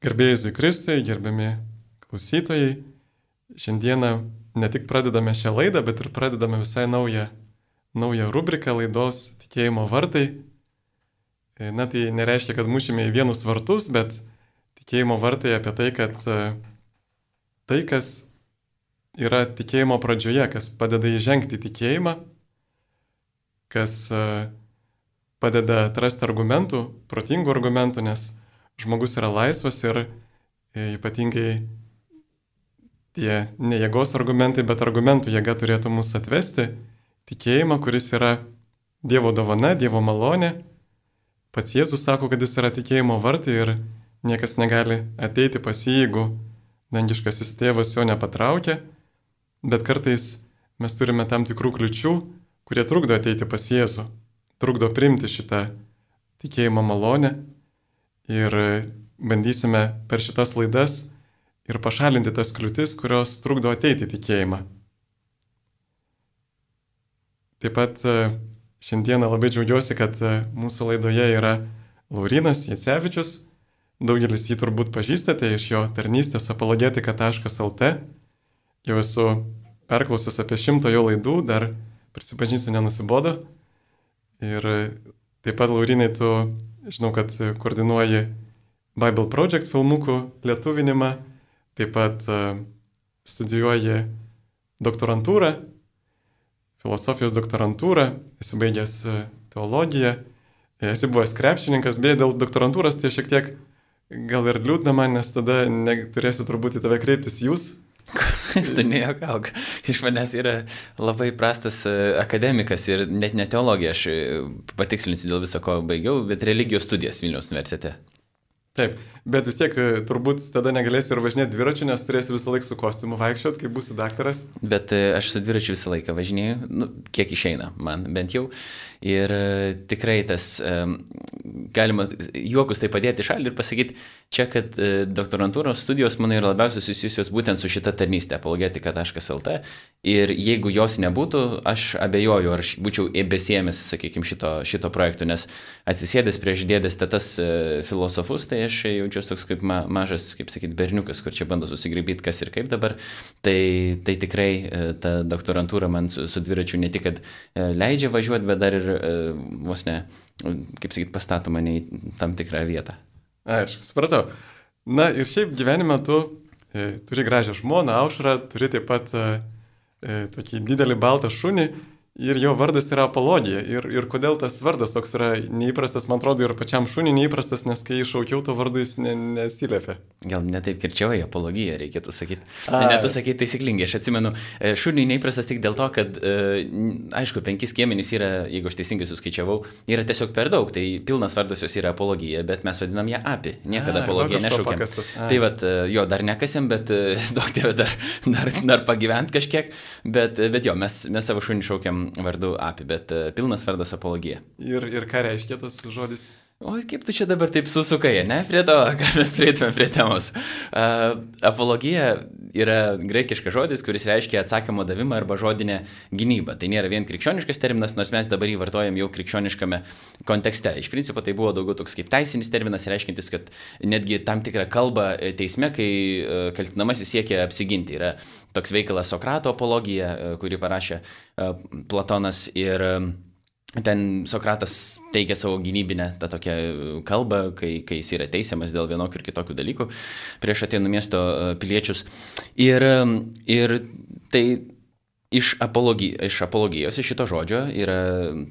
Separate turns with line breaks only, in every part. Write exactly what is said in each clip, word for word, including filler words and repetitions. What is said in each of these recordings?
Garbėjai Jėzui Kristui, gerbiami klausytojai, šiandieną ne tik pradedame šią laidą, bet ir pradedame visai naują, naują rubriką laidos Tikėjimo vartai. Na tai nereiškia, kad mušime į vienus vartus, bet tikėjimo vartai apie tai, kad tai, kas yra tikėjimo pradžioje, kas padeda įžengti tikėjimą, kas padeda atrasti argumentų, protingų argumentų, nes žmogus yra laisvas ir ypatingai tie ne jėgos argumentai, bet argumentų jėga turėtų mus atvesti tikėjimą, kuris yra Dievo dovana, Dievo malonė. Pats Jėzus sako, kad jis yra tikėjimo vartai ir niekas negali ateiti pas jį, jeigu dangiškasis tėvas jo nepatraukia, bet kartais mes turime tam tikrų kliučių, kurie trukdo ateiti pas Jėzų, trukdo priimti šitą tikėjimo malonę. Ir bandysime per šitas laidas ir pašalinti tas kliūtis, kurios trukdo ateiti tikėjimą. Taip pat šiandieną labai džiaugiuosi, kad mūsų laidoje yra Laurynas Jacevičius. Daugelis jį turbūt pažįstate iš jo tarnystės apologetika taškas lt. Jau esu perklausęs apie šimto jo laidų, dar prisipažinsiu, nenusibodo. Ir taip pat, Laurynai, tu žinau, kad koordinuoji Bible Project filmukų lietuvinimą, taip pat studijuoji doktorantūrą, filosofijos doktorantūrą, esi baigęs teologiją, esi buvęs krepšininkas, beje, dėl doktorantūros tai šiek tiek gal ir liūdna man, nes tada turėsiu turbūt į tave kreiptis jūs.
Tu nejuokauk. Iš manęs yra labai prastas akademikas ir net ne teologija, aš patikslinsiu dėl viso ko baigiau, bet religijos studijas Vilniaus universitete.
Taip, bet vis tiek turbūt tada negalėsi ir važinėti dviračiu, nes turėsi visą laiką su kostiumu vaikščiot, kai būsi daktaras.
Bet aš su dviračiu visą laiką važinėjau, nu, kiek išeina man bent jau. Ir tikrai tas, galima juokus tai padėti šalį ir pasakyti, čia, kad doktorantūros studijos mano yra labiausiai susijusios būtent su šita tarnystė apologetika taškas lt. Ir jeigu jos nebūtų, aš abejoju, ar aš būčiau besėmęs, sakykime, šito, šito projekto, nes atsisėdęs prieš dėdės tetas filosofus, tai aš jaučiuosi toks kaip ma, mažas, kaip sakyti, berniukas, kur čia bando susigraibyti, kas ir kaip dabar. Tai, tai tikrai ta doktorantūra man su, su dviračiu ne tik, kad leidžia važiuoti, bet dar ir vos ne, kaip sakyti, pastato mane į tam tikrą vietą.
Aš supratau. Na ir šiaip gyvenime tu e, turi gražią žmoną, Aušrą, turi taip pat e, tokį didelį baltą šunį ir jo vardas yra Apologija. Ir, ir kodėl tas vardas toks yra neįprastas, man atrodo, ir pačiam šuniui neįprastas, nes kai iššaukiau, to vardu jis ne, neatsiliepė.
Gal ne taip kirčiavai, Apologija reikėtų sakyti. Ne, ne tu sakyti taisyklingai, aš atsimenu, šuniui neįprastas tik dėl to, kad, aišku, penkis skiemenys yra, jeigu aš teisingai suskaičiavau, yra tiesiog per daug, tai pilnas vardas jos yra Apologija, bet mes vadinam ją Api, niekada Apologiją nešaukiam. Tai vat, jo, dar nekasėm, bet daug tėvė dar, dar, dar pagyvens kažkiek, bet, bet jo, mes, mes savo šunį šaukiam vardu Api, bet pilnas vardas Apologija.
Ir, ir ką reiškia tas žodis?
O kaip tu čia dabar taip susukai, ne, prie to, kad mes prieitume prie temos. Uh, apologija yra graikiškas žodis, kuris reiškia atsakymo davimą arba žodinę gynybą. Tai nėra vien krikščioniškas terminas, nors mes dabar jį vartojam jau krikščioniškame kontekste. Iš principo tai buvo daugiau toks kaip teisinis terminas, reiškintis, kad netgi tam tikrą kalbą teisme, kai uh, kaltinamasis siekia apsiginti. Yra toks veikalas Sokrato apologija, uh, kurį parašė uh, Platonas ir uh, ten Sokratas teikia savo gynybinę tą tokią kalbą, kai, kai jis yra teisiamas dėl vienokių ir kitokių dalykų prieš Atėnų miesto piliečius. Ir, ir tai iš, apologi, iš apologijos, iš šito žodžio yra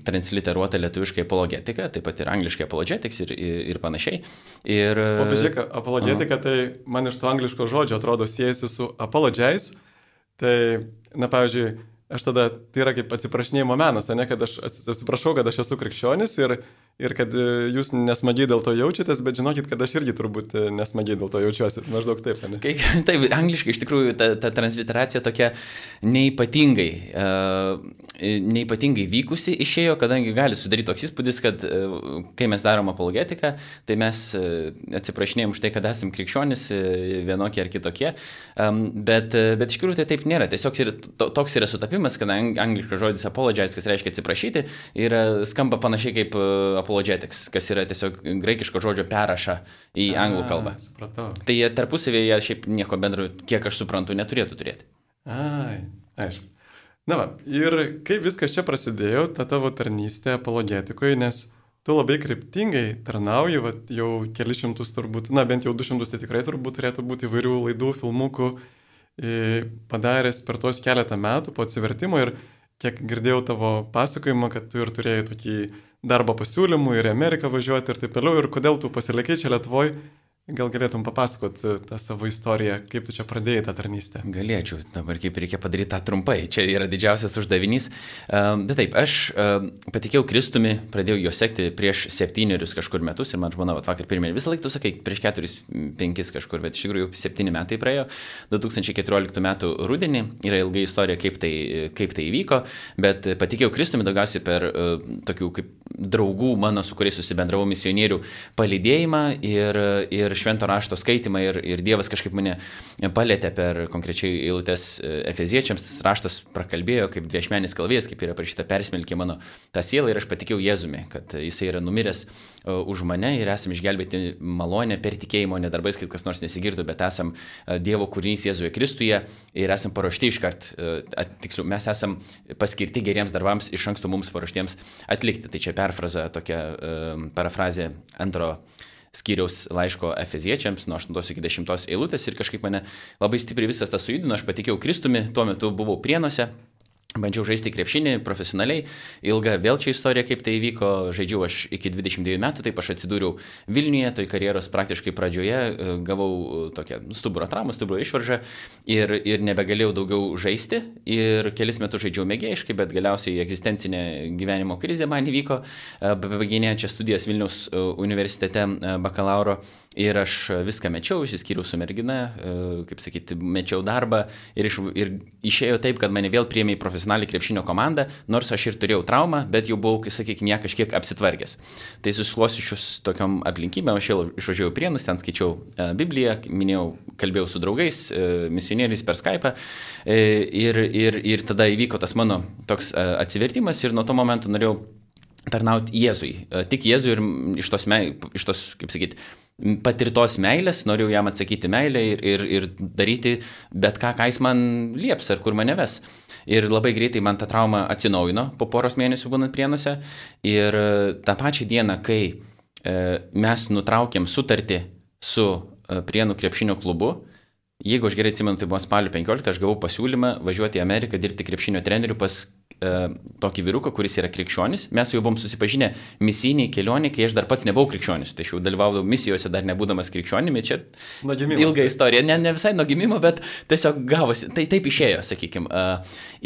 transliteruota lietuviškai apologetika, taip pat ir angliškai apologetics ir, ir, ir panašiai. Ir,
o bežiūrėk, apologetika, tai man iš to angliško žodžio atrodo siejasi su apologize. Tai, na, pavyzdžiui, aš tada, tai yra kaip atsiprašinėjimo menas, ne, kad aš atsiprašau, kad aš esu krikščionis ir, ir kad jūs nesmagiai dėl to jaučiatės, bet žinokit, kad aš irgi turbūt nesmagiai dėl to jaučiuosi, maždaug taip, ne?
Kai, taip, angliškai iš tikrųjų ta, ta transliteracija tokia neipatingai, uh, neipatingai vykusi išėjo, kadangi gali sudaryti toks įspūdis, kad uh, kai mes darom apologetiką, tai mes uh, atsiprašinėjom už tai, kad esam krikščionis uh, vienokie ar kitokie, um, bet, uh, bet iš tikrųjų tai taip nėra, tiesiog yra, to, toks yra sutapimas, kad angliškas žodis apologize, kas reiškia atsiprašyti, ir skamba panašiai kaip apologetika apologetics, kas yra tiesiog graikiško žodžio perraša į
A,
anglų kalbą.
Supratau.
Tai jie tarpusavėje šiaip nieko bendro, kiek aš suprantu, neturėtų turėti.
Ai, aišku. Na va, ir kaip viskas čia prasidėjo, ta tavo tarnystė apologetikoje, nes tu labai kryptingai tarnauji, va, jau keli šimtus turbūt, na bent jau du šimtus tai tikrai turbūt turėtų būti įvairių laidų, filmukų e, padaręs per tos keletą metų po atsivertimo ir kiek girdėjau tavo pasakojimą, kad tu ir turėjai tokį darbo pasiūlymų ir į Ameriką važiuoti ir taip toliau, ir kodėl tu pasilikai čia Lietuvoje. Gal galėtum papasakoti tą savo istoriją, kaip tu čia pradėjai tą tarnystę?
Galėčiau, dabar kaip reikia padaryti tą trumpai, čia yra didžiausias uždavinys. Bet taip, aš patikėjau Kristumi, pradėjau jo sekti prieš septynerius kažkur metus ir man žmona vakar pirmie, visą laiką tu sakai, prieš keturis, penkis kažkur, bet iš tikrųjų jau septyni metai praėjo, du tūkstančiai keturioliktų metų rudenį, yra ilga istorija, kaip tai, kaip tai įvyko, bet patikėjau Kristumi daugiausiai per tokių kaip draugų mano, su kuriais susibendravau misionierių palydėjimą ir, ir švento rašto skaitimą ir, ir Dievas kažkaip mane palėtė per konkrečiai eilutes Efeziečiams, tas raštas prakalbėjo kaip dviešmenis kalvėjas, kaip yra parašyta, persmelkė mano tą sielą ir aš patikėjau Jėzumi, kad jisai yra numiręs už mane ir esam išgelbėti malonę per tikėjimo, ne darbais, kad kas nors nesigirdo, bet esam Dievo kūrinys Jėzuje Kristuje ir esam paruošti iškart, tiksliau, mes esam paskirti geriems darbams iš anksto mums paruoštiems atlikti. Tai čia perfraza, tokia parafrazė antro skyriaus laiško Efeziečiams nuo aštuntos iki dešimtos eilutės ir kažkaip mane labai stipriai visas tas sujudino, aš patikėjau Kristumi, tuo metu buvau Prienuose. Bandžiau žaisti krepšinį profesionaliai, ilga vėl čia istorija, kaip tai įvyko, žaidžiau aš iki dvidešimt dviejų metų, taip aš atsidūriau Vilniuje, toj karjeros praktiškai pradžioje, gavau tokią stuburo traumą, stuburo išvaržą ir, ir nebegalėjau daugiau žaisti ir kelis metus žaidžiau mėgėjiškai, bet galiausiai egzistencinė gyvenimo krizė man įvyko, bebaiginėjant čia studijas Vilniaus universitete bakalauro ir aš viską mečiau, išsiskyriau su mergina, kaip sakyti, mečiau darbą ir, iš, ir išėjo taip, kad mane vėl priėmė į profesionalią krepšinio komandą, nors aš ir turėjau traumą, bet jau buvau, sakykime, ją kažkiek apsitvarkęs. Tai susiklosčius tokiom aplinkybėm, aš vėl išvažiavau Prienus, ten skaičiau Bibliją, minėjau, kalbėjau su draugais, misionieriais per Skype'ą ir, ir, ir tada įvyko tas mano toks atsivertimas ir nuo to momento norėjau tarnauti Jėzui, tik Jėzui ir iš tos, iš tos kaip sakyti, patirtos meilės, norėjau jam atsakyti meilę ir, ir, ir daryti bet ką, ką jis man lieps ar kur mane ves. Ir labai greitai man ta trauma atsinaujino po poros mėnesių būnant Prienuose ir tą pačią dieną, kai e, mes nutraukėm sutartį su e, Prienų krepšinio klubu, jeigu aš gerai atsimenu, tai buvo spalio penkioliktą, aš gavau pasiūlymą važiuoti į Ameriką dirbti krepšinio treneriu pas tokį vyruką, kuris yra krikščionis. Mes su juo buvom susipažinę misijiniai kelionė, kai aš dar pats nebuvau krikščionis. Tai aš jau dalyvaudavau misijose dar nebūdamas krikščionimi. Čia ilga istorija. Ne, ne visai nuo gimimo, bet tiesiog gavosi. Tai taip išėjo, sakykime.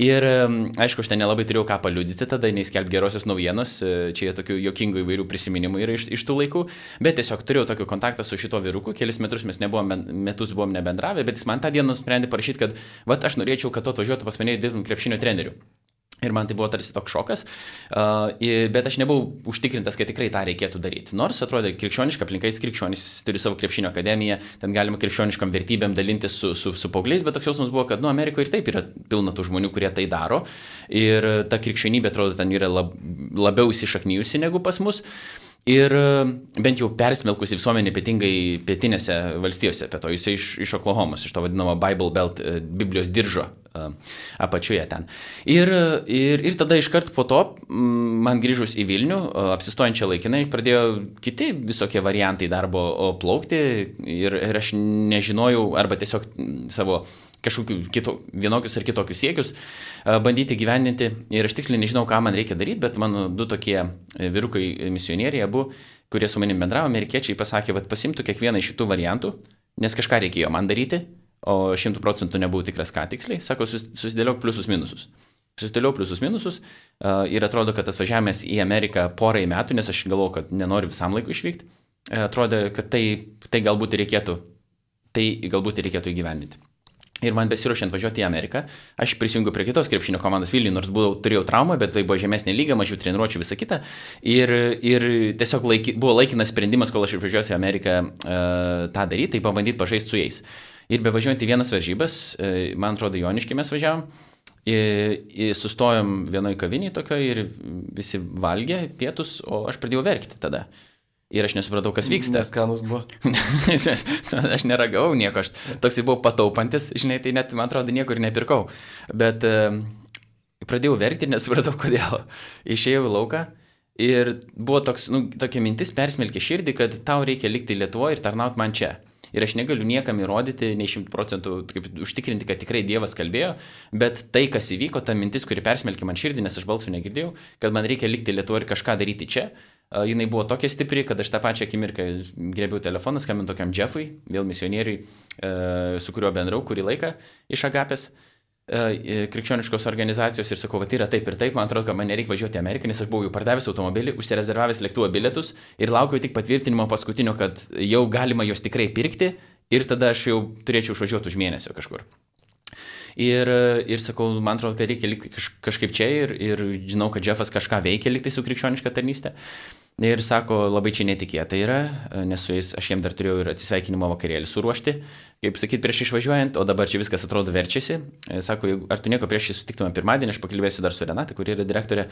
Ir aišku, aš ten nelabai turėjau ką paliudyti, tada neįskelbti gerosios naujienos. Čia tokių jokingų įvairių prisiminimų yra iš, iš tų laikų. Bet tiesiog turėjau tokį kontaktą su šito vyruku. Kelis metus mes nebuvom, metus buvom nebendravę, bet jis man tą dieną nusprendė parašyti, kad vat, aš norėčiau, kad tu atvažiuotų pas mane dirbtum krepšinio treneriu. Ir man tai buvo tarsi toks šokas, uh, bet aš nebuvau užtikrintas, kad tikrai tą reikėtų daryti. Nors atrodė krikščioniška aplinka, jis krikščionis turi savo krepšinio akademiją, ten galima krikščioniškam vertybėm dalintis su, su, su paaugliais, bet toks jausmas buvo, kad nu, Amerikoje ir taip yra pilna tų žmonių, kurie tai daro. Ir ta krikščionybė, atrodo, ten yra lab, labiau įsišaknyjusi negu pas mus. Ir bent jau persmelkusi visuomenė ypatingai pietinėse valstijose, apie to jisai iš, iš Oklahomos, iš to vadinamo Bible Belt, Biblijos diržo apačioje ten. Ir, ir, ir tada iškart po to, man grįžus į Vilnių, apsistojančią laikinai, pradėjo kiti visokie variantai darbo plaukti ir, ir aš nežinojau arba tiesiog savo kažkokių kito, vienokius ar kitokius siekius bandyti gyvendinti ir aš tiksliai nežinau, ką man reikia daryti, bet mano du tokie vyrukai misionieriai, abu, kurie su manim bendravo, amerikiečiai pasakė, kad pasimtų kiekvieną iš šitų variantų, nes kažką reikėjo man daryti, o šimtų procentų nebuvau tikras ką tiksliai, sako, susidėliok pliusus minusus. Susidėliau pliusus minusus ir atrodo, kad tas važiavimas į Ameriką porai metų, nes aš galvojau, kad nenoriu visam laiku išvykti, atrodo, kad tai, tai galbūt reikėtų, tai galbūt reikėtų įgyvendinti. Ir man besiruošiant važiuoti į Ameriką, aš prisijungiau prie kitos krepšinio komandos Vilniuje, nors buvau, turėjau traumą, bet tai buvo žemesnė lyga, mažiau treniruočių, visa kita. Ir, ir tiesiog laiki, buvo laikinas sprendimas, kol aš išvažiuosiu į Ameriką uh, tą daryti, tai pabandyti pažaisti su jais. Ir bevažiuojant į vienas varžybas, uh, man atrodo, Joniškį mes važiavom, Ir, ir sustojom vienoj kaviniai tokioje ir visi valgė pietus, o aš pradėjau verkti tada. Ir aš nesupratau, kas vyksta.
Neskanus buvo.
Aš neragau nieko, aš toksai buvau pataupantis, žinai, tai net, man atrodo, niekur nepirkau. Bet uh, pradėjau verkti ir nesupratau, kodėl. Išėjau į lauką ir buvo toks, nu, tokia mintis persmelkė širdį, kad tau reikia likti Lietuvoje ir tarnauti man čia. Ir aš negaliu niekam įrodyti, nei šimtų procentų užtikrinti, kad tikrai Dievas kalbėjo, bet tai, kas įvyko, ta mintis, kuri persmelkė man širdį, nes aš balsų negirdėjau, kad man reikia likti Lietuvoje ir kažką daryti čia, uh, jinai buvo tokia stipri, kad aš tą pačią akimirką grėbiau telefoną, skambinau tokiam Jeffui, vėl misionieriui, uh, su kuriuo bendrau kurį laiką iš Agapės uh, krikščioniškos organizacijos ir sakau, va tai yra taip ir taip, man atrodo, kad man nereikia važiuoti į Ameriką, nes aš buvau jau pardavęs automobilį, užsirezervavęs lėktuvo bilietus ir laukiau tik patvirtinimo paskutinio, kad jau galima juos tikrai pirkti ir tada aš jau turėčiau išvažiuoti už mėnesio kažkur. Ir, ir sakau, man atrodo, kad reikia likti kažkaip čia ir, ir žinau, kad Jeffas kažką veikia likti su krikščioniška tarnystė. Ir sako, labai čia netikėta yra, nes su jais aš jiem dar turėjau ir atsisveikinimo vakarėlį suruošti, kaip sakyt, prieš išvažiuojant, o dabar čia viskas atrodo verčiasi. Sako, ar tu nieko prieš jį sutiktume pirmadienį, aš pakalbėsiu dar su Renata, kuri yra direktorė,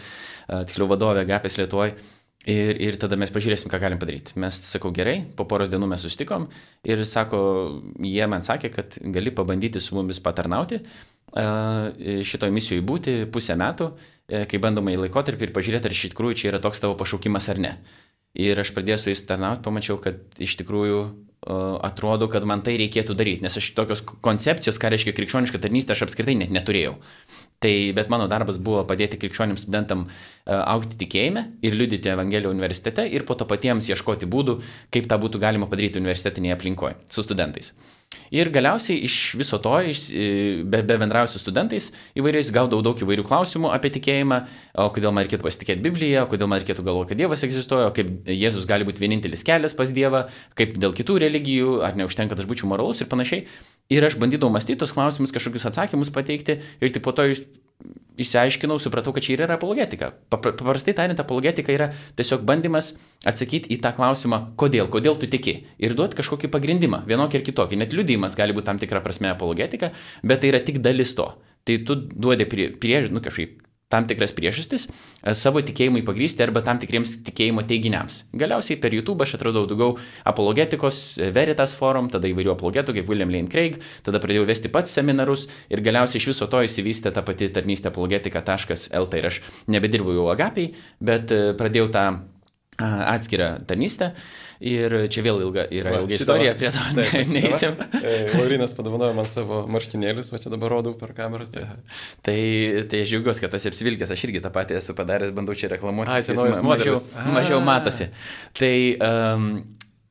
tiksliau vadovė Agapės Lietuvoje. Ir, ir tada mes pažiūrėsim, ką galim padaryti. Mes, sakau, gerai, po poros dienų mes susitikom ir sako, jie man sakė, kad gali pabandyti su mumis patarnauti, šitoj misijoje būti pusę metų, kai bandoma į laikotarpį ir pažiūrėti, ar iš tikrųjų čia yra toks tavo pašaukimas ar ne. Ir aš pradėjau su jais tarnauti, pamačiau, kad iš tikrųjų atrodo, kad man tai reikėtų daryti, nes aš tokios koncepcijos, ką reiškia krikščioniška tarnystė, aš apskritai net neturėjau. Tai, bet mano darbas buvo padėti krikščionims studentam uh, augti tikėjime ir liudyti Evangeliją universitete ir po to patiems ieškoti būdų, kaip tą būtų galima padaryti universitetinėje aplinkoje su studentais. Ir galiausiai iš viso to, iš, be, be bendrauju su studentais, įvairiais gaudavau daug įvairių klausimų apie tikėjimą, o kodėl man reikėtų pasitikėti Bibliją, o kodėl man reikėtų galvoti, kad Dievas egzistuoja, o kaip Jėzus gali būti vienintelis kelias pas Dievą, kaip dėl kitų religijų, ar neužtenka, kad aš būčiau moralus ir panašiai. Ir aš bandydavau mąstyti tos klausimus, kažkokius atsakymus pateikti ir tik po to išsiaiškinau, supratau, kad čia yra apologetika. Paprastai tariant, apologetika yra tiesiog bandymas atsakyti į tą klausimą, kodėl, kodėl tu tiki ir duoti kažkokį pagrindimą, vienokį ir kitokį. Net liudijimas gali būti tam tikra prasme apologetika, bet tai yra tik dalis to. Tai tu duodi prie, prie nu, kažkaip tam tikras priežastis savo tikėjimui pagrysti arba tam tikriems tikėjimo teiginiams. Galiausiai per YouTube aš atradau daugiau apologetikos, Veritas forum, tada įvairių apologetų kaip William Lane Craig, tada pradėjau vesti pats seminarus ir galiausiai iš viso to įsivystė ta pati tarnystė apologetika taškas el t ir aš nebedirbau jau Agapėj, bet pradėjau tą atskirą tarnystę. Ir čia vėl ilga, yra va, ilga istorija, prie to neįsim.
Laurinas padovanojo man savo marškinėlius, va čia dabar rodau per kamerą. Tai,
tai, tai aš džiaugiuosi, kad tas apsivilkęs, aš irgi tą patį esu padaręs, bandau čia reklamuoti.
A, čia naujas modelis.
Mažiau, mažiau matosi. Tai um,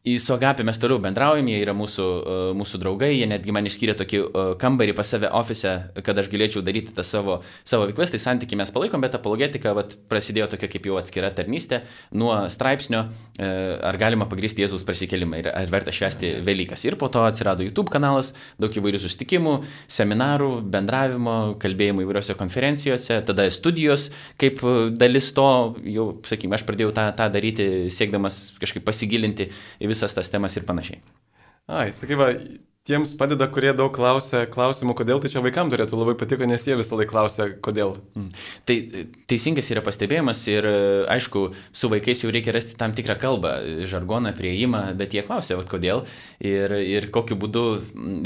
į su Agapė mes toliau bendraujam, jie yra mūsų, uh, mūsų draugai, jie netgi man išskyrė tokį uh, kambarį pas save ofise, kad aš galėčiau daryti tą savo, savo veiklas, tai santykiai mes palaikom, bet apologetika vat, prasidėjo tokia kaip jau atskira tarnystė nuo straipsnio, uh, ar galima pagrysti Jėzaus prisikėlimą ir ar verta švęsti Velykas. Ir po to atsirado YouTube kanalas, daug įvairių susitikimų, seminarų, bendravimo, kalbėjimų įvairiose konferencijose, tada studijos, kaip dalis to, jau, sakykime, aš pradėjau tą, tą daryti, siekdamas kažkaip pasigilinti į visas tas temas ir panašiai.
Ai, sakai, va, tiems padeda, kurie daug klausia klausimų, kodėl, tai čia vaikams turėtų labai patiko, nes jie visą laiką klausia, kodėl.
Mm. Tai teisingas yra pastebėjimas ir, aišku, su vaikais jau reikia rasti tam tikrą kalbą, žargoną, prieimą, bet jie klausia, vat, kodėl ir, ir kokiu būdu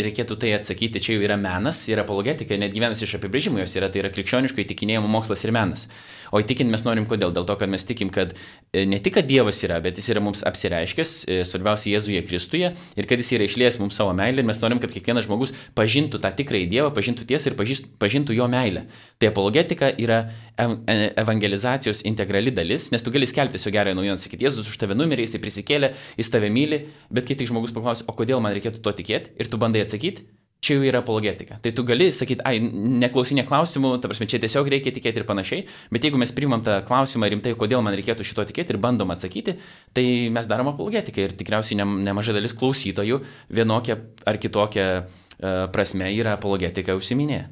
reikėtų tai atsakyti. Čia jau yra menas, yra apologetika, netgi vienas iš apibrėžimų jos yra, tai yra krikščioniško įtikinėjimo mokslas ir menas. O įtikinti mes norim kodėl? Dėl to, kad mes tikim, kad ne tik, kad Dievas yra, bet jis yra mums apsireiškęs, svarbiausia Jėzuje Kristuje, ir kad jis yra išliejęs mums savo meilę, ir mes norim, kad kiekvienas žmogus pažintų tą tikrąjį Dievą, pažintų tiesą ir pažintų jo meilę. Tai apologetika yra evangelizacijos integrali dalis, nes tu gali skelbti tiesiog gerąją naujieną, sakyti, Jėzus už tave numirė, jis prisikėlė, jis tave myli, bet kai tik žmogus paklausia, o kodėl man reikėtų to tikėti, ir tu bandai atsakyti, čia jau yra apologetika. Tai tu gali sakyti, ai, neklausinė klausimų, ta prasme, čia tiesiog reikia tikėti ir panašiai, bet jeigu mes priimam tą klausimą rimtai, kodėl man reikėtų šito tikėti ir bandom atsakyti, tai mes darom apologetiką ir tikriausiai ne, nemaža dalis klausytojų vienokia ar kitokia uh, prasme yra apologetika užsiminėję.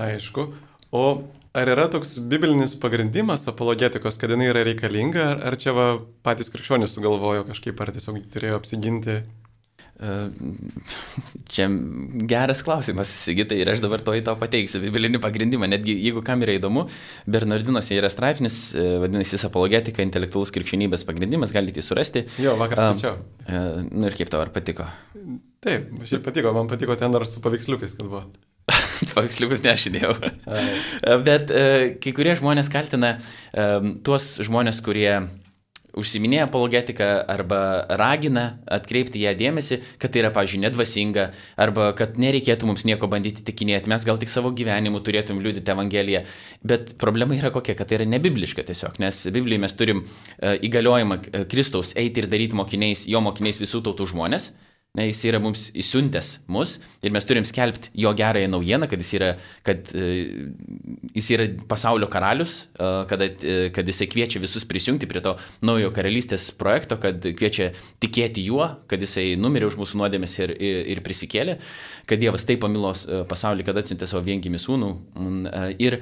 Aišku. O ar yra toks biblinis pagrindimas apologetikos, kad jinai yra reikalinga, ar, ar čia va, patys krikščionys sugalvojo kažkaip, ar tiesiog turėjo apsiginti?
Čia geras klausimas, Sigitai, ir aš dabar to į to pateiksiu biblinį pagrindimą. Netgi jeigu kam yra įdomu, Bernardinuose yra straipsnis, vadinasi, apologetika, intelektualus krikščionybės pagrindimas, galite jį surasti.
Jo, vakar skaičiau.
Uh, nu ir kaip tau, ar patiko?
Taip, šiaip patiko, man patiko ten dar su paveiksliukais, kad buvo.
Paveiksliukus nešinėjau. Bet uh, kai kurie žmonės kaltina uh, tuos žmonės, kurie užsiminėja apologetiką arba ragina atkreipti ją dėmesį, kad tai yra, pavyzdžiui, nedvasinga, arba kad nereikėtų mums nieko bandyti tikinėti, mes gal tik savo gyvenimu turėtum liudyti Evangeliją. Bet problema yra kokia, kad tai yra nebibliška tiesiog, nes Biblijoje mes turim įgaliojimą Kristaus eiti ir daryti mokiniais, jo mokiniais visų tautų žmonės. Ne, jis yra mums įsiuntęs mus ir mes turim skelbti jo gerąją naujieną, kad jis yra, kad, uh, jis yra pasaulio karalius, uh, kad, uh, kad jisai kviečia visus prisijungti prie to naujo karalystės projekto, kad kviečia tikėti juo, kad jisai numirė už mūsų nuodėmes ir, ir, ir prisikėlė, kad Dievas taip pamilo uh, pasaulį, kad atsiuntė savo viengimį sūnų. Uh, ir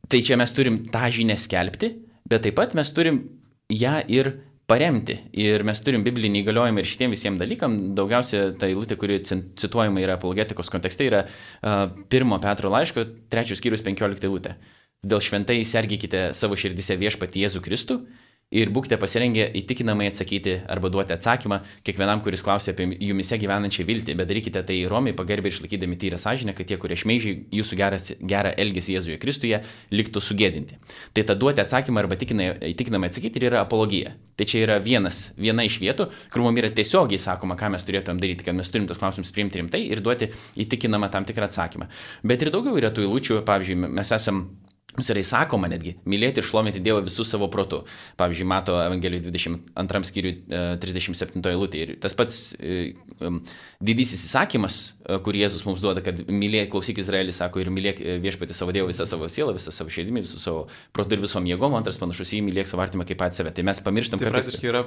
tai čia mes turim tą žinią skelbti, bet taip pat mes turim ją ir paremti. Ir mes turim biblinį įgaliojimą ir šitiem visiems dalykam. Daugiausia ta eilutė, kuri cituojama yra apologetikos kontekste, yra uh, pirmo Petro laiško, trečios skyrius penkiolikta eilutė. Dėl šventai sergėkite savo širdise viešpatį Jėzų Kristų ir būkite pasirengę įtikinamai atsakyti arba duoti atsakymą kiekvienam, kuris klausia apie jumise gyvenančią viltį, bet darykite tai romiai, pagerbę ir išlaikydami tyrą sąžinę, kad tie, kurie šmeižiai jūsų geras, gerą elgesį Jėzuje Kristuje, liktų sugėdinti. Tai ta duoti atsakymą arba įtikinamai atsakyti ir yra apologija. Tai čia yra vienas, viena iš vietų, kur mums yra tiesiogiai sakoma, ką mes turėtumėm daryti, kad mes turim tos klausimus priimti rimtai ir duoti įtikinamą tam tikrą atsakymą. Bet ir daugiau yra tų eilučių, pavyzdžiui, mes esam Mums yra įsakoma netgi mylėti ir šlovinti Dievą visų savo protų. Pavyzdžiui, Mato Evangelijos dvidešimt antram skyriui trisdešimt septintoje eilutėje. Ir tas pats um, didysis įsakymas, kurį Jėzus mums duoda, kad mylėk, klausyk Izraelį, sako, ir mylėk viešpatį savo Dievą visą savo sielą, visą savo širdimi, visų savo protų ir visom jėgom. Antras panašus į mylėk savo artimą kaip pat save. Tai mes pamirštam,
tai
kad...
Tai praktiškai yra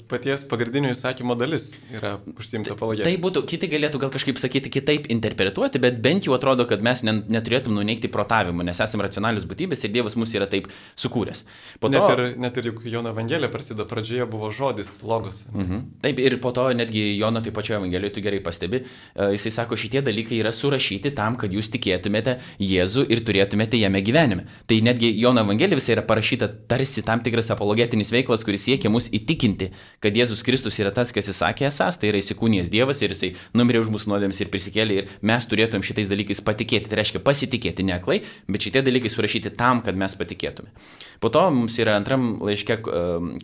paties pagrindinio įsakymo dalis, yra užsiimta apologetika.
Tai būtų, kiti galėtų gal kažkaip sakyti kitaip interpretuoti, bet bent jau atrodo, kad mes neturėtum nuneigti protavimų, nes esame racionalius būtybės ir Dievas mus yra taip sukūręs. Po to...
Net ir, net ir juk Jono Evangelija prasideda, pradžioje buvo žodis, logos.
Mhm. Taip, ir po to netgi Jono taip pačioje Evangelijoje, tu gerai pastebi, jisai sako, šitie dalykai yra surašyti tam, kad jūs tikėtumėte Jėzų ir turėtumėte jame gyvenime. Tai netgi Jono Evangelija visai yra parašyta tarsi tam tikras apologetinis veiklas, kuris siekia mus įtikinti, kad Jėzus Kristus yra tas, kas jis sakė esas, tai yra įsikūnijęs Dievas ir jisai numirė už mūsų nuodėmes ir prisikėlė ir mes turėtumėm šitais dalykais patikėti. Tai reiškia pasitikėti ne aklai, bet šitie dalykai surašyti tam, kad mes patikėtume. Po to mums yra antram laiške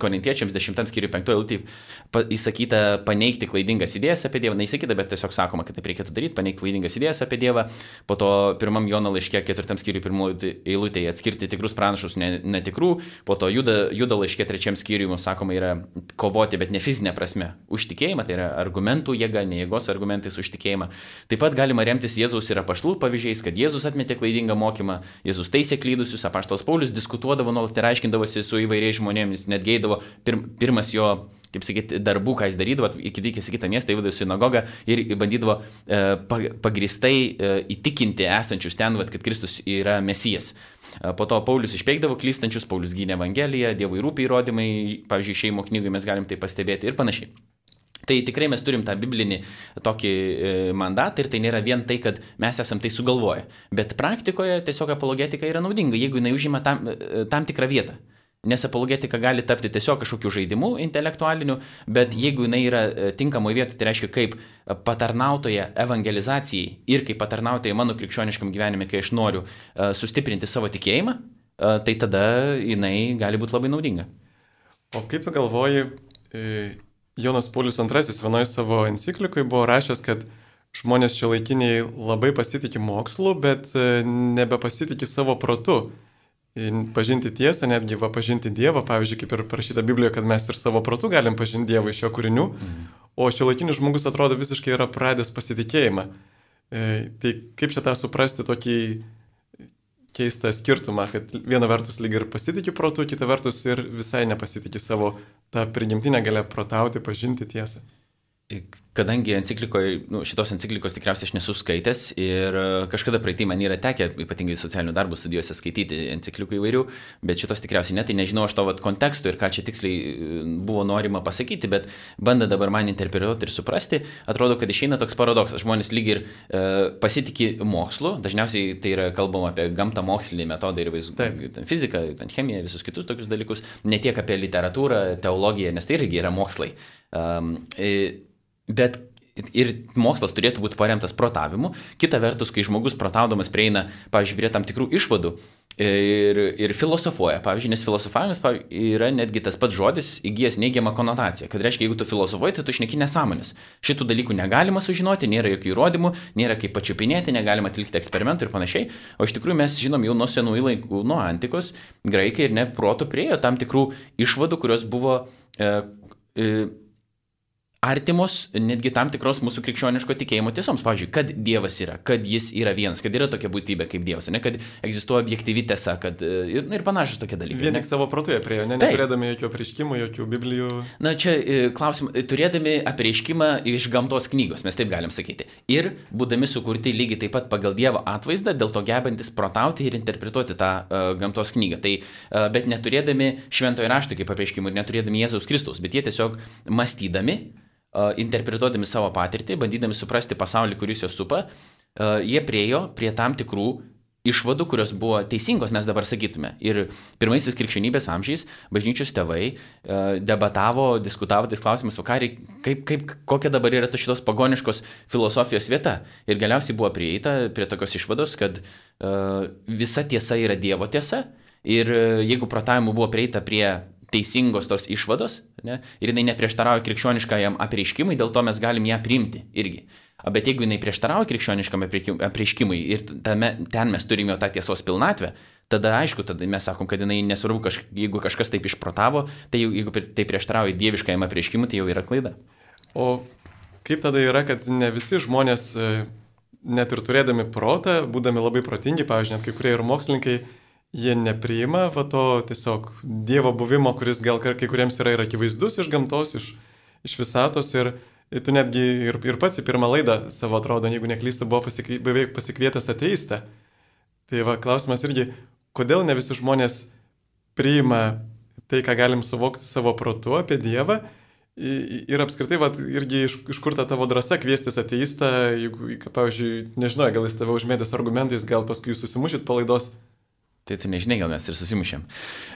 Korintiečiams dešimtam skyriui penktoje eilutėje įsakyta paneigti klaidingas idėjas apie Dievą. Neįsakyta, bet tiesiog sakoma, kad taip reikėtų daryti, paneigti klaidingas idėjas apie Dievą. Po to pirmam Jono laiške ketvirtam skyriui pirmoje eilutėje atskirti tikrus pranašus netikrų. Po to Judo, Judo laiške trečiam skyriui mums sakoma yra kovoti, bet ne fizinė prasme, už tikėjimą, tai yra argumentų jėga, ne jėgos argumentais už tikėjimą. Taip pat galima remtis Jėzaus ir apaštalų pavyzdžiais, kad Jėzus atmetė klaidingą mokymą, Jėzus teisė klydusius, apaštalas Paulius diskutuodavo nuolat ir aiškindavosi su įvairiais žmonėmis, netgi eidavo pir, pirmas jo, kaip sakyti, darbų, ką jis darydavo, atvykęs į kitą miestą, įvadavo į sinagogą ir bandydavo e, pagristai e, įtikinti esančius ten, vat, kad Kristus yra Mesijas. E, po to Paulius išpeikdavo klystančius, Paulius gynė Evangeliją, Dievui rūpi įrodymai, pavyzdžiui, Šeimo knygoje mes galim tai pastebėti ir panašiai. Tai tikrai mes turim tą biblinį tokį e, mandatą ir tai nėra vien tai, kad mes esam tai sugalvoję. Bet praktikoje tiesiog apologetika yra naudinga, jeigu jinai užima tam, tam tikrą vietą. Nes apologetika gali tapti tiesiog kažkokiu žaidimu intelektualiniu, bet jeigu jinai yra tinkamoje vietoje, tai reiškia kaip patarnautoja evangelizacijai ir kaip patarnautoja mano krikščioniškam gyvenime, kai aš noriu uh, sustiprinti savo tikėjimą, uh, tai tada jinai gali būti labai naudinga.
O kaip tu galvoji, e... Jonas Paulius antrasis vienoje savo enciklikoje buvo rašęs, kad žmonės šiuolaikiniai labai pasitikė mokslu, bet nebepasitikė savo protu. Pažinti tiesą, netgi va, pažinti Dievą, pavyzdžiui, kaip ir parašyta Biblijoje, kad mes ir savo protu galim pažinti Dievą iš jo kūrinių, mhm. O šiuolaikinis žmogus atrodo visiškai yra pradęs pasitikėjimą. E, tai kaip čia tą suprasti tokį keistą skirtumą, kad viena vertus lyg ir pasitikė protu, kita vertus ir visai nepasitikė savo tą prigimtinę galę protauti, pažinti tiesą.
kadangi enciklikoje, nu, šitos enciklikos tikriausiai aš nesu skaitęs ir kažkada praeitį man yra tekę, ypatingai socialinių darbų studijose, skaityti enciklikų įvairių, bet šitos tikriausiai ne, tai nežinau aš to vat, konteksto ir ką čia tiksliai buvo norima pasakyti, bet banda dabar man interpretuoti ir suprasti, atrodo, kad išeina toks paradoksas. Žmonės lyg ir e, pasitikė mokslu, dažniausiai tai yra kalbama apie gamtą mokslinį metodą ir vaiz... fiziką, chemiją, visus kitus tokius dalykus, ne tiek apie literatūrą, teologiją, nes tai irgi yra mokslai. Um, e, Bet ir mokslas turėtų būti paremtas protavimu. Kita vertus, kai žmogus protaudamas prieina, pavyzdžiui, prie tam tikrų išvadų ir, ir filosofuoja, pavyzdžiui, nes filosofavimas yra netgi tas pats žodis įgijęs neigiamą konotaciją. Kad reiškia, jeigu tu filosofuoji, tai tu šneki nesąmonės. Šitų dalykų negalima sužinoti, nėra jokių įrodymų, nėra kaip pačiupinėti, negalima atlikti eksperimentų ir panašiai. O iš tikrųjų mes žinom jau nuo senųjų laikų, nuo antikos, graikai ir ne protų priejo tam tikrų išvadų, kurios buvo... E, e, artimos netgi tam tikros mūsų krikščioniško tikėjimo tiesoms. Pavyzdžiui, kad Dievas yra, kad jis yra vienas, kad yra tokia būtybė kaip Dievas, ne, kad egzistuoja objektyvi tiesa, kad ir, ir panašus tokie dalykai.
Vien tik savo protoje priejo, ne, neturėdami jokių apreiškimų, jokių biblijų.
Na čia klausim, turėdami apreiškimą iš gamtos knygos, mes taip galim sakyti. Ir būdami sukurti lygiai taip pat pagal Dievo atvaizdą, dėl to gebantis protauti ir interpretuoti tą uh, gamtos knygą. Tai, uh, bet neturėdami šventojo rašto kaip apreiškimų ir neturėdami Jėzaus Kristaus, bet jie tiesiog mąstydami, interpretuodami savo patirtį, bandydami suprasti pasaulį, kuris juos supa, jie priejo prie tam tikrų išvadų, kurios buvo teisingos, mes dabar sakytume. Ir pirmaisiais krikščionybės amžiais bažnyčios tėvai debatavo, diskutavo tais klausimus, kaip, kaip, kokia dabar yra šitos pagoniškos filosofijos vieta. Ir galiausiai buvo prieita prie tokios išvados, kad visa tiesa yra Dievo tiesa. Ir jeigu protavimu buvo prieita prie teisingos tos išvados, ne, ir jinai neprieštarauja krikščioniškajam apreiškimui, dėl to mes galim ją priimti irgi. Bet jeigu jinai prieštarauja krikščioniškam apreiškimui ir tame, ten mes turime tą tiesos pilnatvę, tada aišku, tada mes sakom, kad jinai nesvarbu, kaž, jeigu kažkas taip išprotavo, tai jeigu tai prieštarauja dieviškajam apreiškimui, tai jau yra klaida.
O kaip tada yra, kad ne visi žmonės, net ir turėdami protą, būdami labai protingi, pavyzdžiui, net kai kurie ir mokslininkai, jie nepriima va to tiesiog Dievo buvimo, kuris gal kai kuriems yra ir akivaizdus iš gamtos, iš, iš visatos ir tu netgi ir, ir pats į pirmą laidą savo atrodo, jeigu neklystu, buvo pasikvie, beveik pasikvietęs ateistą. Tai va, klausimas irgi, kodėl ne visi žmonės priima tai, ką galim suvokti savo protu apie Dievą ir apskritai, va, irgi iš, iš kur ta tavo drąsa kviestis ateistą, jeigu, pavyzdžiui, nežinau, gal jis tave užmėdės argumentais, gal paskui jūs susimušit palaidos.
Tai tu nežinai, gal mes ir susimušėm.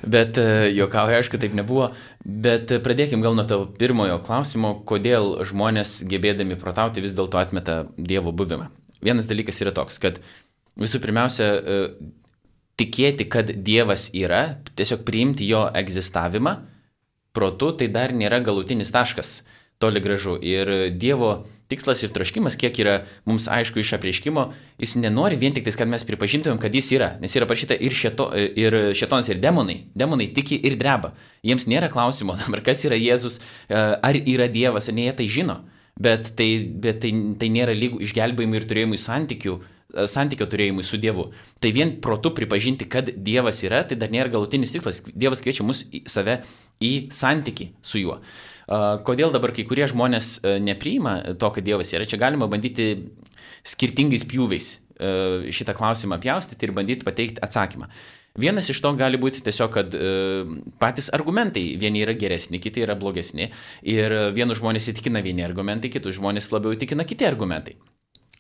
Bet juokauju, aišku, taip nebuvo. Bet pradėkim gal nuo tavo pirmojo klausimo, kodėl žmonės gebėdami protauti vis dėlto atmeta Dievo buvimą. Vienas dalykas yra toks, kad visų pirmiausia, tikėti, kad Dievas yra, tiesiog priimti jo egzistavimą protu, tai dar nėra galutinis taškas. Toli gražu. Ir Dievo tikslas ir troškimas, kiek yra mums aišku iš apreiškimo, jis nenori vien tik tais, kad mes pripažintumėm, kad jis yra. Nes yra parašyta ir, šeto, ir šetonas, ir demonai. Demonai tiki ir dreba. Jiems nėra klausimo, kas yra Jėzus, ar yra Dievas, ar ne, jie tai žino. Bet tai, bet tai, tai nėra lygų išgelbėjimui ir turėjimui santykių, santykio turėjimui su Dievu. Tai vien protu pripažinti, kad Dievas yra, tai dar nėra galutinis tikslas. Dievas kviečia mus į save į santykį su juo. Kodėl dabar kai kurie žmonės nepriima to, kad Dievas yra? Čia galima bandyti skirtingais pjūviais šitą klausimą pjaustyti ir bandyti pateikti atsakymą. Vienas iš to gali būti tiesiog, kad patys argumentai vieni yra geresni, kiti yra blogesni ir vienus žmonės įtikina vieni argumentai, kitus žmonės labiau įtikina kiti argumentai.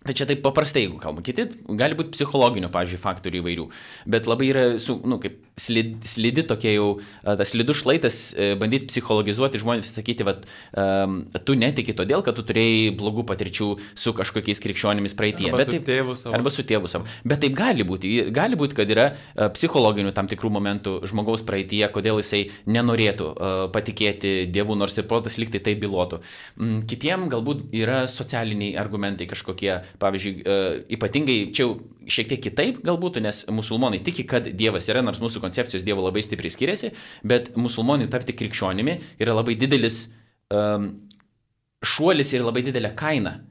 Tai čia taip paprastai, jeigu kalbame. Kiti gali būti psichologinių, pavyzdžiui, faktorių įvairių. Bet labai yra, su, nu, kaip slidi, slidi tokie jau, tas slidus šlaitas, bandyti psichologizuoti žmonės, sakyti, vat, um, tu netiki todėl, kad tu turėjai blogų patirčių su kažkokiais krikščionimis praeityje.
Arba, su tėvu savo.
Arba su tėvu savo. Bet taip gali būti. Gali būti, kad yra psichologinių tam tikrų momentų žmogaus praeityje, kodėl jisai nenorėtų uh, patikėti Dievu, nors ir protas liktai tai bylotų. Um, kitiem galbūt yra socialiniai argumentai kažkokie. Pavyzdžiui, ypatingai čia jau šiek tiek kitaip galbūt, nes musulmonai tiki, kad Dievas yra, nors mūsų koncepcijos Dievo labai stipriai skiriasi, bet musulmonai tapti krikščionimi yra labai didelis um, šuolis ir labai didelė kaina.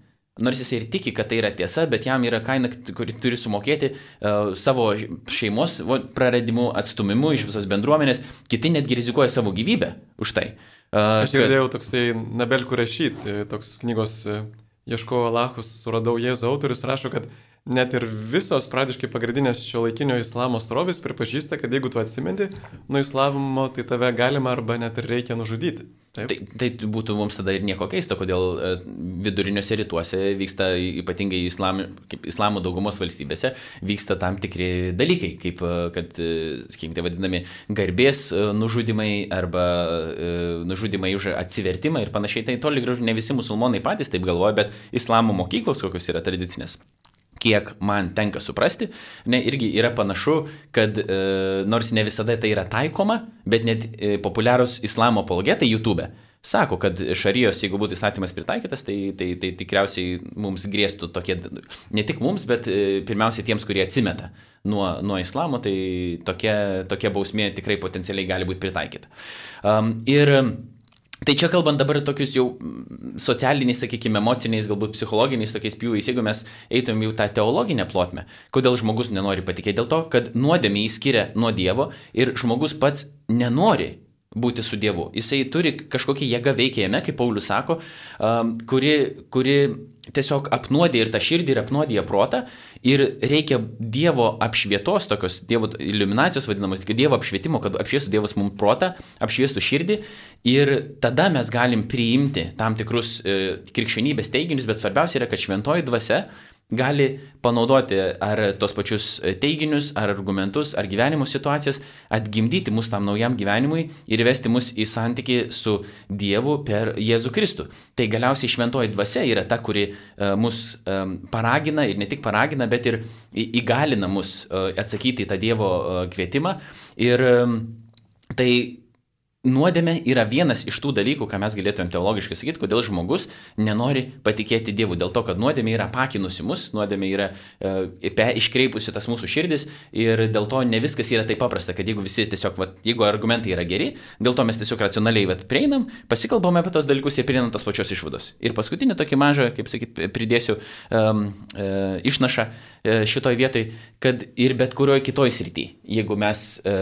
Nors jis ir tiki, kad tai yra tiesa, bet jam yra kaina, kuri turi sumokėti uh, savo šeimos praradimu, atstumimu iš visos bendruomenės. Kiti netgi rizikuoja savo gyvybę už tai.
Aš girdėjau kad... toksai Nabel Kurešit, toks knygos Ieškojau Alachus, suradau Jėzų autorius, rašo, kad net ir visos pradiškai pagrindinės šio laikinio islamo srovės pripažįsta, kad jeigu tu atsimenti nuo islamo, tai tave galima arba net ir reikia nužudyti. Taip?
Tai, tai būtų mums tada ir nieko keisto, kodėl viduriniuose rytuose vyksta, ypatingai islam, kaip islamo daugumos valstybėse, vyksta tam tikri dalykai, kaip, kad, sakykime, tai vadinami garbės nužudimai arba nužudimai už atsivertimą ir panašiai. Tai toli gražu ne visi musulmonai patys taip galvoja, bet islamo mokyklos, kokios yra tradicinės, kiek man tenka suprasti, ne, irgi yra panašu, kad e, nors ne visada tai yra taikoma, bet net e, populiarūs islamo apologetai YouTube sako, kad šarijos, jeigu būtų įstatymas pritaikytas, tai, tai, tai tikriausiai mums grėstų tokie, ne tik mums, bet e, pirmiausia tiems, kurie atsimeta nuo, nuo islamo, tai tokia, tokia bausmė tikrai potencialiai gali būti pritaikyta. Um, ir Tai čia kalbant dabar tokius jau socialiniais, sakykime, emociniais, galbūt psichologiniais tokiais pjūviais, jeigu mes eitum jau tą teologinę plotmę, kodėl žmogus nenori patikėti? Dėl to, kad nuodėmė įskiria nuo Dievo ir žmogus pats nenori būti su Dievu. Jisai turi kažkokį jėgą veikia jame, kaip Paulius sako, kuri, kuri tiesiog apnuodė ir tą širdį, ir apnuodė protą. Ir reikia Dievo apšvietos, tokios Dievo iliuminacijos vadinamos, Dievo apšvietimo, kad apšviestų Dievas mums protą, apšviestų širdį. Ir tada mes galim priimti tam tikrus e, krikščionybės teiginius, bet svarbiausia yra, kad šventoji dvasia gali panaudoti ar tos pačius teiginius, ar argumentus, ar gyvenimo situacijas, atgimdyti mus tam naujam gyvenimui ir vesti mus į santykį su Dievu per Jėzų Kristų. Tai galiausiai šventoji dvasia yra ta, kuri uh, mus um, paragina ir ne tik paragina, bet ir įgalina mus uh, atsakyti į tą Dievo uh, kvietimą. Ir um, tai nuodėmė yra vienas iš tų dalykų, ką mes galėtumėm teologiškai sakyti, kodėl žmogus nenori patikėti Dievu. Dėl to, kad nuodėmė yra pakinusi mus, nuodėmė yra e, iškreipusi tas mūsų širdis ir dėl to ne viskas yra taip paprasta, kad jeigu visi tiesiog, vat, jeigu argumentai yra geri, dėl to mes tiesiog racionaliai vat, prieinam, pasikalbame apie tos dalykus ir prieinam tos pačios išvados. Ir paskutinį tokį mažą, kaip sakyt, pridėsiu um, e, išnašą e, šitoj vietoj, kad ir bet kurioj kitoj srity, jeigu mes e,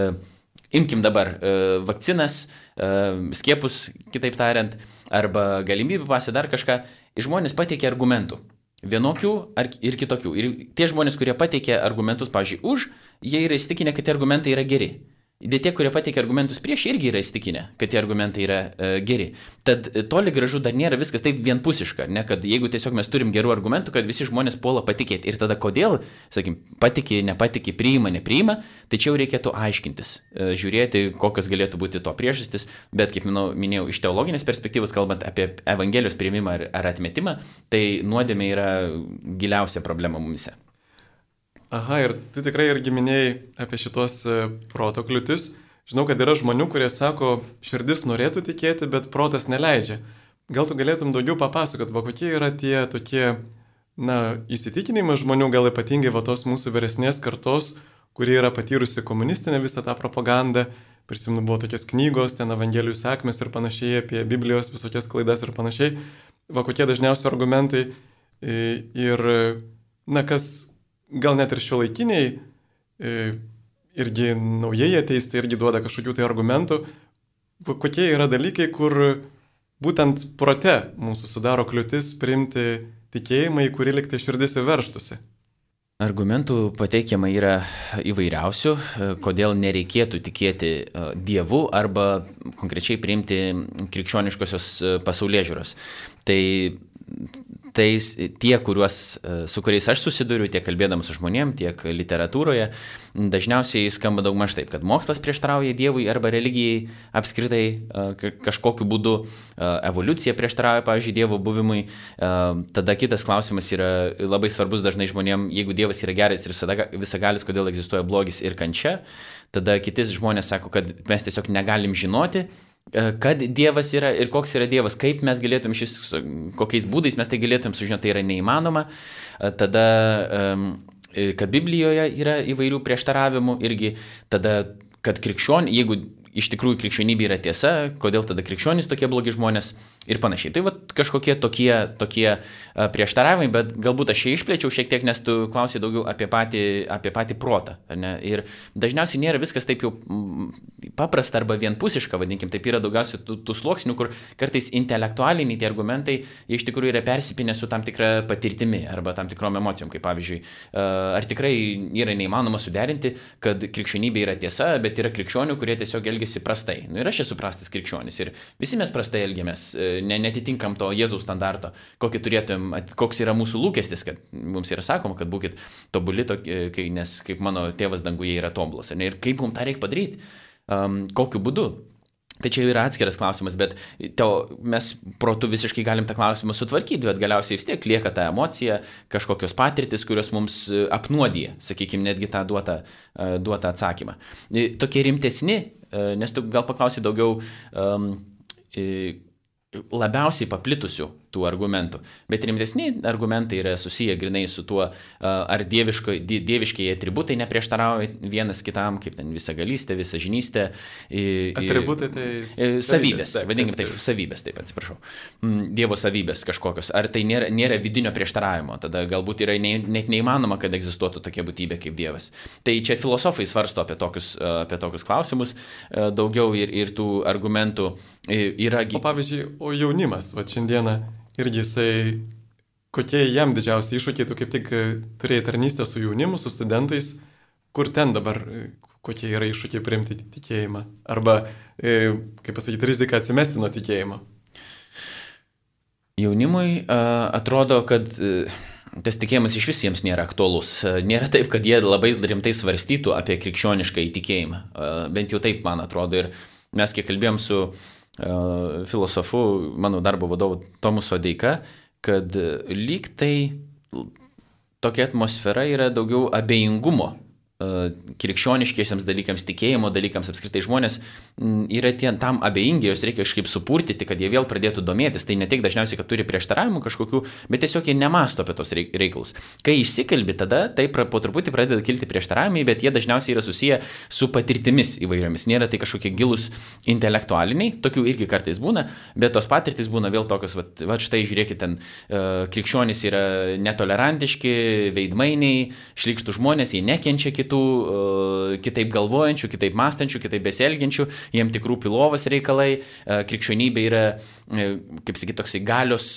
imkim dabar e, vakcinas, e, skiepus, kitaip tariant, arba galimybių pasą, dar kažką, žmonės pateikia argumentų. Vienokių ar, ir kitokių. Ir tie žmonės, kurie pateikia argumentus, pavyzdžiui, už, jie yra įsitikinę, kad tie argumentai yra geri. Bet tie, kurie pateikia argumentus prieš, irgi yra įsitikinę, kad tie argumentai yra e, geri. Tad e, toli gražu dar nėra viskas taip vienpusiška, ne, kad jeigu tiesiog mes turim gerų argumentų, kad visi žmonės puola patikėti. Ir tada kodėl, sakim, patikė, nepatikė, priima, nepriima, tai čia jau reikėtų aiškintis, e, žiūrėti, kokios galėtų būti to priežastis, bet kaip minau, minėjau, iš teologinės perspektyvos, kalbant apie Evangelijos priėmimą ar, ar atmetimą, tai nuodėmė yra giliausia problema mumise.
Aha, ir tu tikrai irgi minėjai apie šitos proto kliūtis. Žinau, kad yra žmonių, kurie sako, širdis norėtų tikėti, bet protas neleidžia. Gal tu galėtum daugiau papasakot, va kokie yra tie tokie, na, įsitikinimai žmonių, gal ypatingai va tos mūsų vyresnės kartos, kurie yra patyrusi komunistinę visą tą propagandą. Prisimenu, buvo tokios knygos, ten Evangelijų sakmės ir panašiai, apie Biblijos visokias klaidas ir panašiai. Va kokie dažniausi argumentai ir, na, kas gal net ir šiuolaikiniai, irgi naujai ateistai irgi duoda kažkokių tai argumentų, kokie yra dalykai, kur būtent prote mūsų sudaro kliūtis priimti tikėjimą, į kurį liktai širdis įverštusi.
Argumentų pateikiama yra įvairiausių, kodėl nereikėtų tikėti Dievu arba konkrečiai priimti krikščioniškosios pasaulėžiūros. Tai Tai tie, kuriuos, su kuriais aš susiduriu, tiek kalbėdamas su žmonėm, tiek literatūroje, dažniausiai skamba daugmaž taip, kad mokslas prieštarauja Dievui arba religijai apskritai kažkokiu būdu, evoliucija prieštarauja, pavyzdžiui, Dievo buvimui. Tada kitas klausimas yra labai svarbus dažnai žmonėm, jeigu Dievas yra geras ir visagalis, kodėl egzistuoja blogis ir kančia. Tada kiti žmonės sako, kad mes tiesiog negalim žinoti, kad Dievas yra ir koks yra Dievas, kaip mes galėtum šis, kokiais būdais mes tai galėtum sužinoti, tai yra neįmanoma. Tada, kad Biblijoje yra įvairių prieštaravimų irgi, tada, kad krikščionių, jeigu iš tikrųjų krikščionybė yra tiesa, kodėl tada krikščionys tokie blogi žmonės ir panašiai. Tai va kažkokie tokie, tokie prieštaravimai, bet galbūt aš čia išplėčiau šiek tiek, nes tu klausai daugiau apie patį, apie patį protą. Ne? Ir dažniausiai nėra viskas taip jau paprasta arba vienpusiška, vadinkim, taip yra daugiausiai tų, tų sluoksnių, kur kartais intelektualiniai tie argumentai iš tikrųjų yra persipinę su tam tikra patirtimi arba tam tikrom emocijom, kaip pavyzdžiui, ar tikrai yra neįmanoma suderinti, kad krikščionybė yra tiesa, bet yra krikščionių, kurie tiesiog elgiasi prastai. Nu, ir aš esu prastas krikščionis ir visi mes prastai elgiamės, ne, netitinkam to Jėzaus standarto, kokį turėtum, koks yra mūsų lūkestis, kad mums yra sakoma, kad būkit tobuli, tokie, nes kaip mano tėvas danguje yra tobulas. Ir kaip mums tą reikia padaryti, um, kokiu būdu. Tai čia yra atskiras klausimas, bet teo, mes protu visiškai galim tą klausimą sutvarkyti, bet galiausiai vis tiek lieka ta emocija, kažkokios patirtis, kurios mums apnuodija, sakykime, netgi tą duotą, duotą atsakymą. Tokie rimtesni, nes tu gal paklausai daugiau um, labiausiai paplitusių tų argumentų, bet rimtesni argumentai yra susiję grinai su tuo, ar dieviško, dieviškiai atributai neprieštarauja vienas kitam, kaip ten visagalystė, visažinystė.
Atributai tai
savybės, vadinkim taip, savybės, taip atsiprašau. Dievo savybės kažkokios. Ar tai nėra, nėra vidinio prieštaravimo, tada galbūt yra ne, net neįmanoma, kad egzistuotų tokia būtybė kaip Dievas. Tai čia filosofai svarsto apie tokius, apie tokius klausimus daugiau ir, ir tų argumentų yra.
O pavyzdžiui, o jaunimas, va šiandieną irgi jisai, kokie jam didžiausi iššūkiai, tu kaip tik turėjai tarnystę su jaunimu, su studentais, kur ten dabar, kokie yra iššūkiai priimti tikėjimą, arba, kaip pasakyti, rizika atsimesti nuo tikėjimo.
Jaunimui uh, atrodo, kad uh, tas tikėjimas iš vis jiems nėra aktualus. Nėra taip, kad jie labai rimtai svarstytų apie krikščionišką įtikėjimą. Uh, bent jau taip, man atrodo. Ir mes kiek kalbėjom su filosofu, mano darbo vadovu Tomu Sodeika, kad lyg tai tokia atmosfera yra daugiau abejingumo krikščioniškiesiams dalykams, tikėjimo dalykams, apskritai žmonės yra tie, tam abejingi, jos reikia kažkaip supurtyti, kad jie vėl pradėtų domėtis. Tai ne tik dažniausiai, kad turi prieštaravimų kažkokių, bet tiesiog jie nemasto apie tos reikalus. Kai išsikalbi, tada tai po truputį pradeda kilti prieštaravimai, bet jie dažniausiai yra susiję su patirtimis įvairiomis. Nėra tai kažkokie gilus intelektualiniai, tokių irgi kartais būna, bet tos patirtis būna vėl tokios, va, va štai žiūrėkit, ten uh, krikščionys yra netolerantiški, veidmainiai, šlykštų žmonės, jie nekenčia kitų, kitaip galvojančių, kitaip mąstančių, kitaip besielgiančių, jiem tik rūpi lovos reikalai, krikščionybė yra, kaip sakyti, toksai galios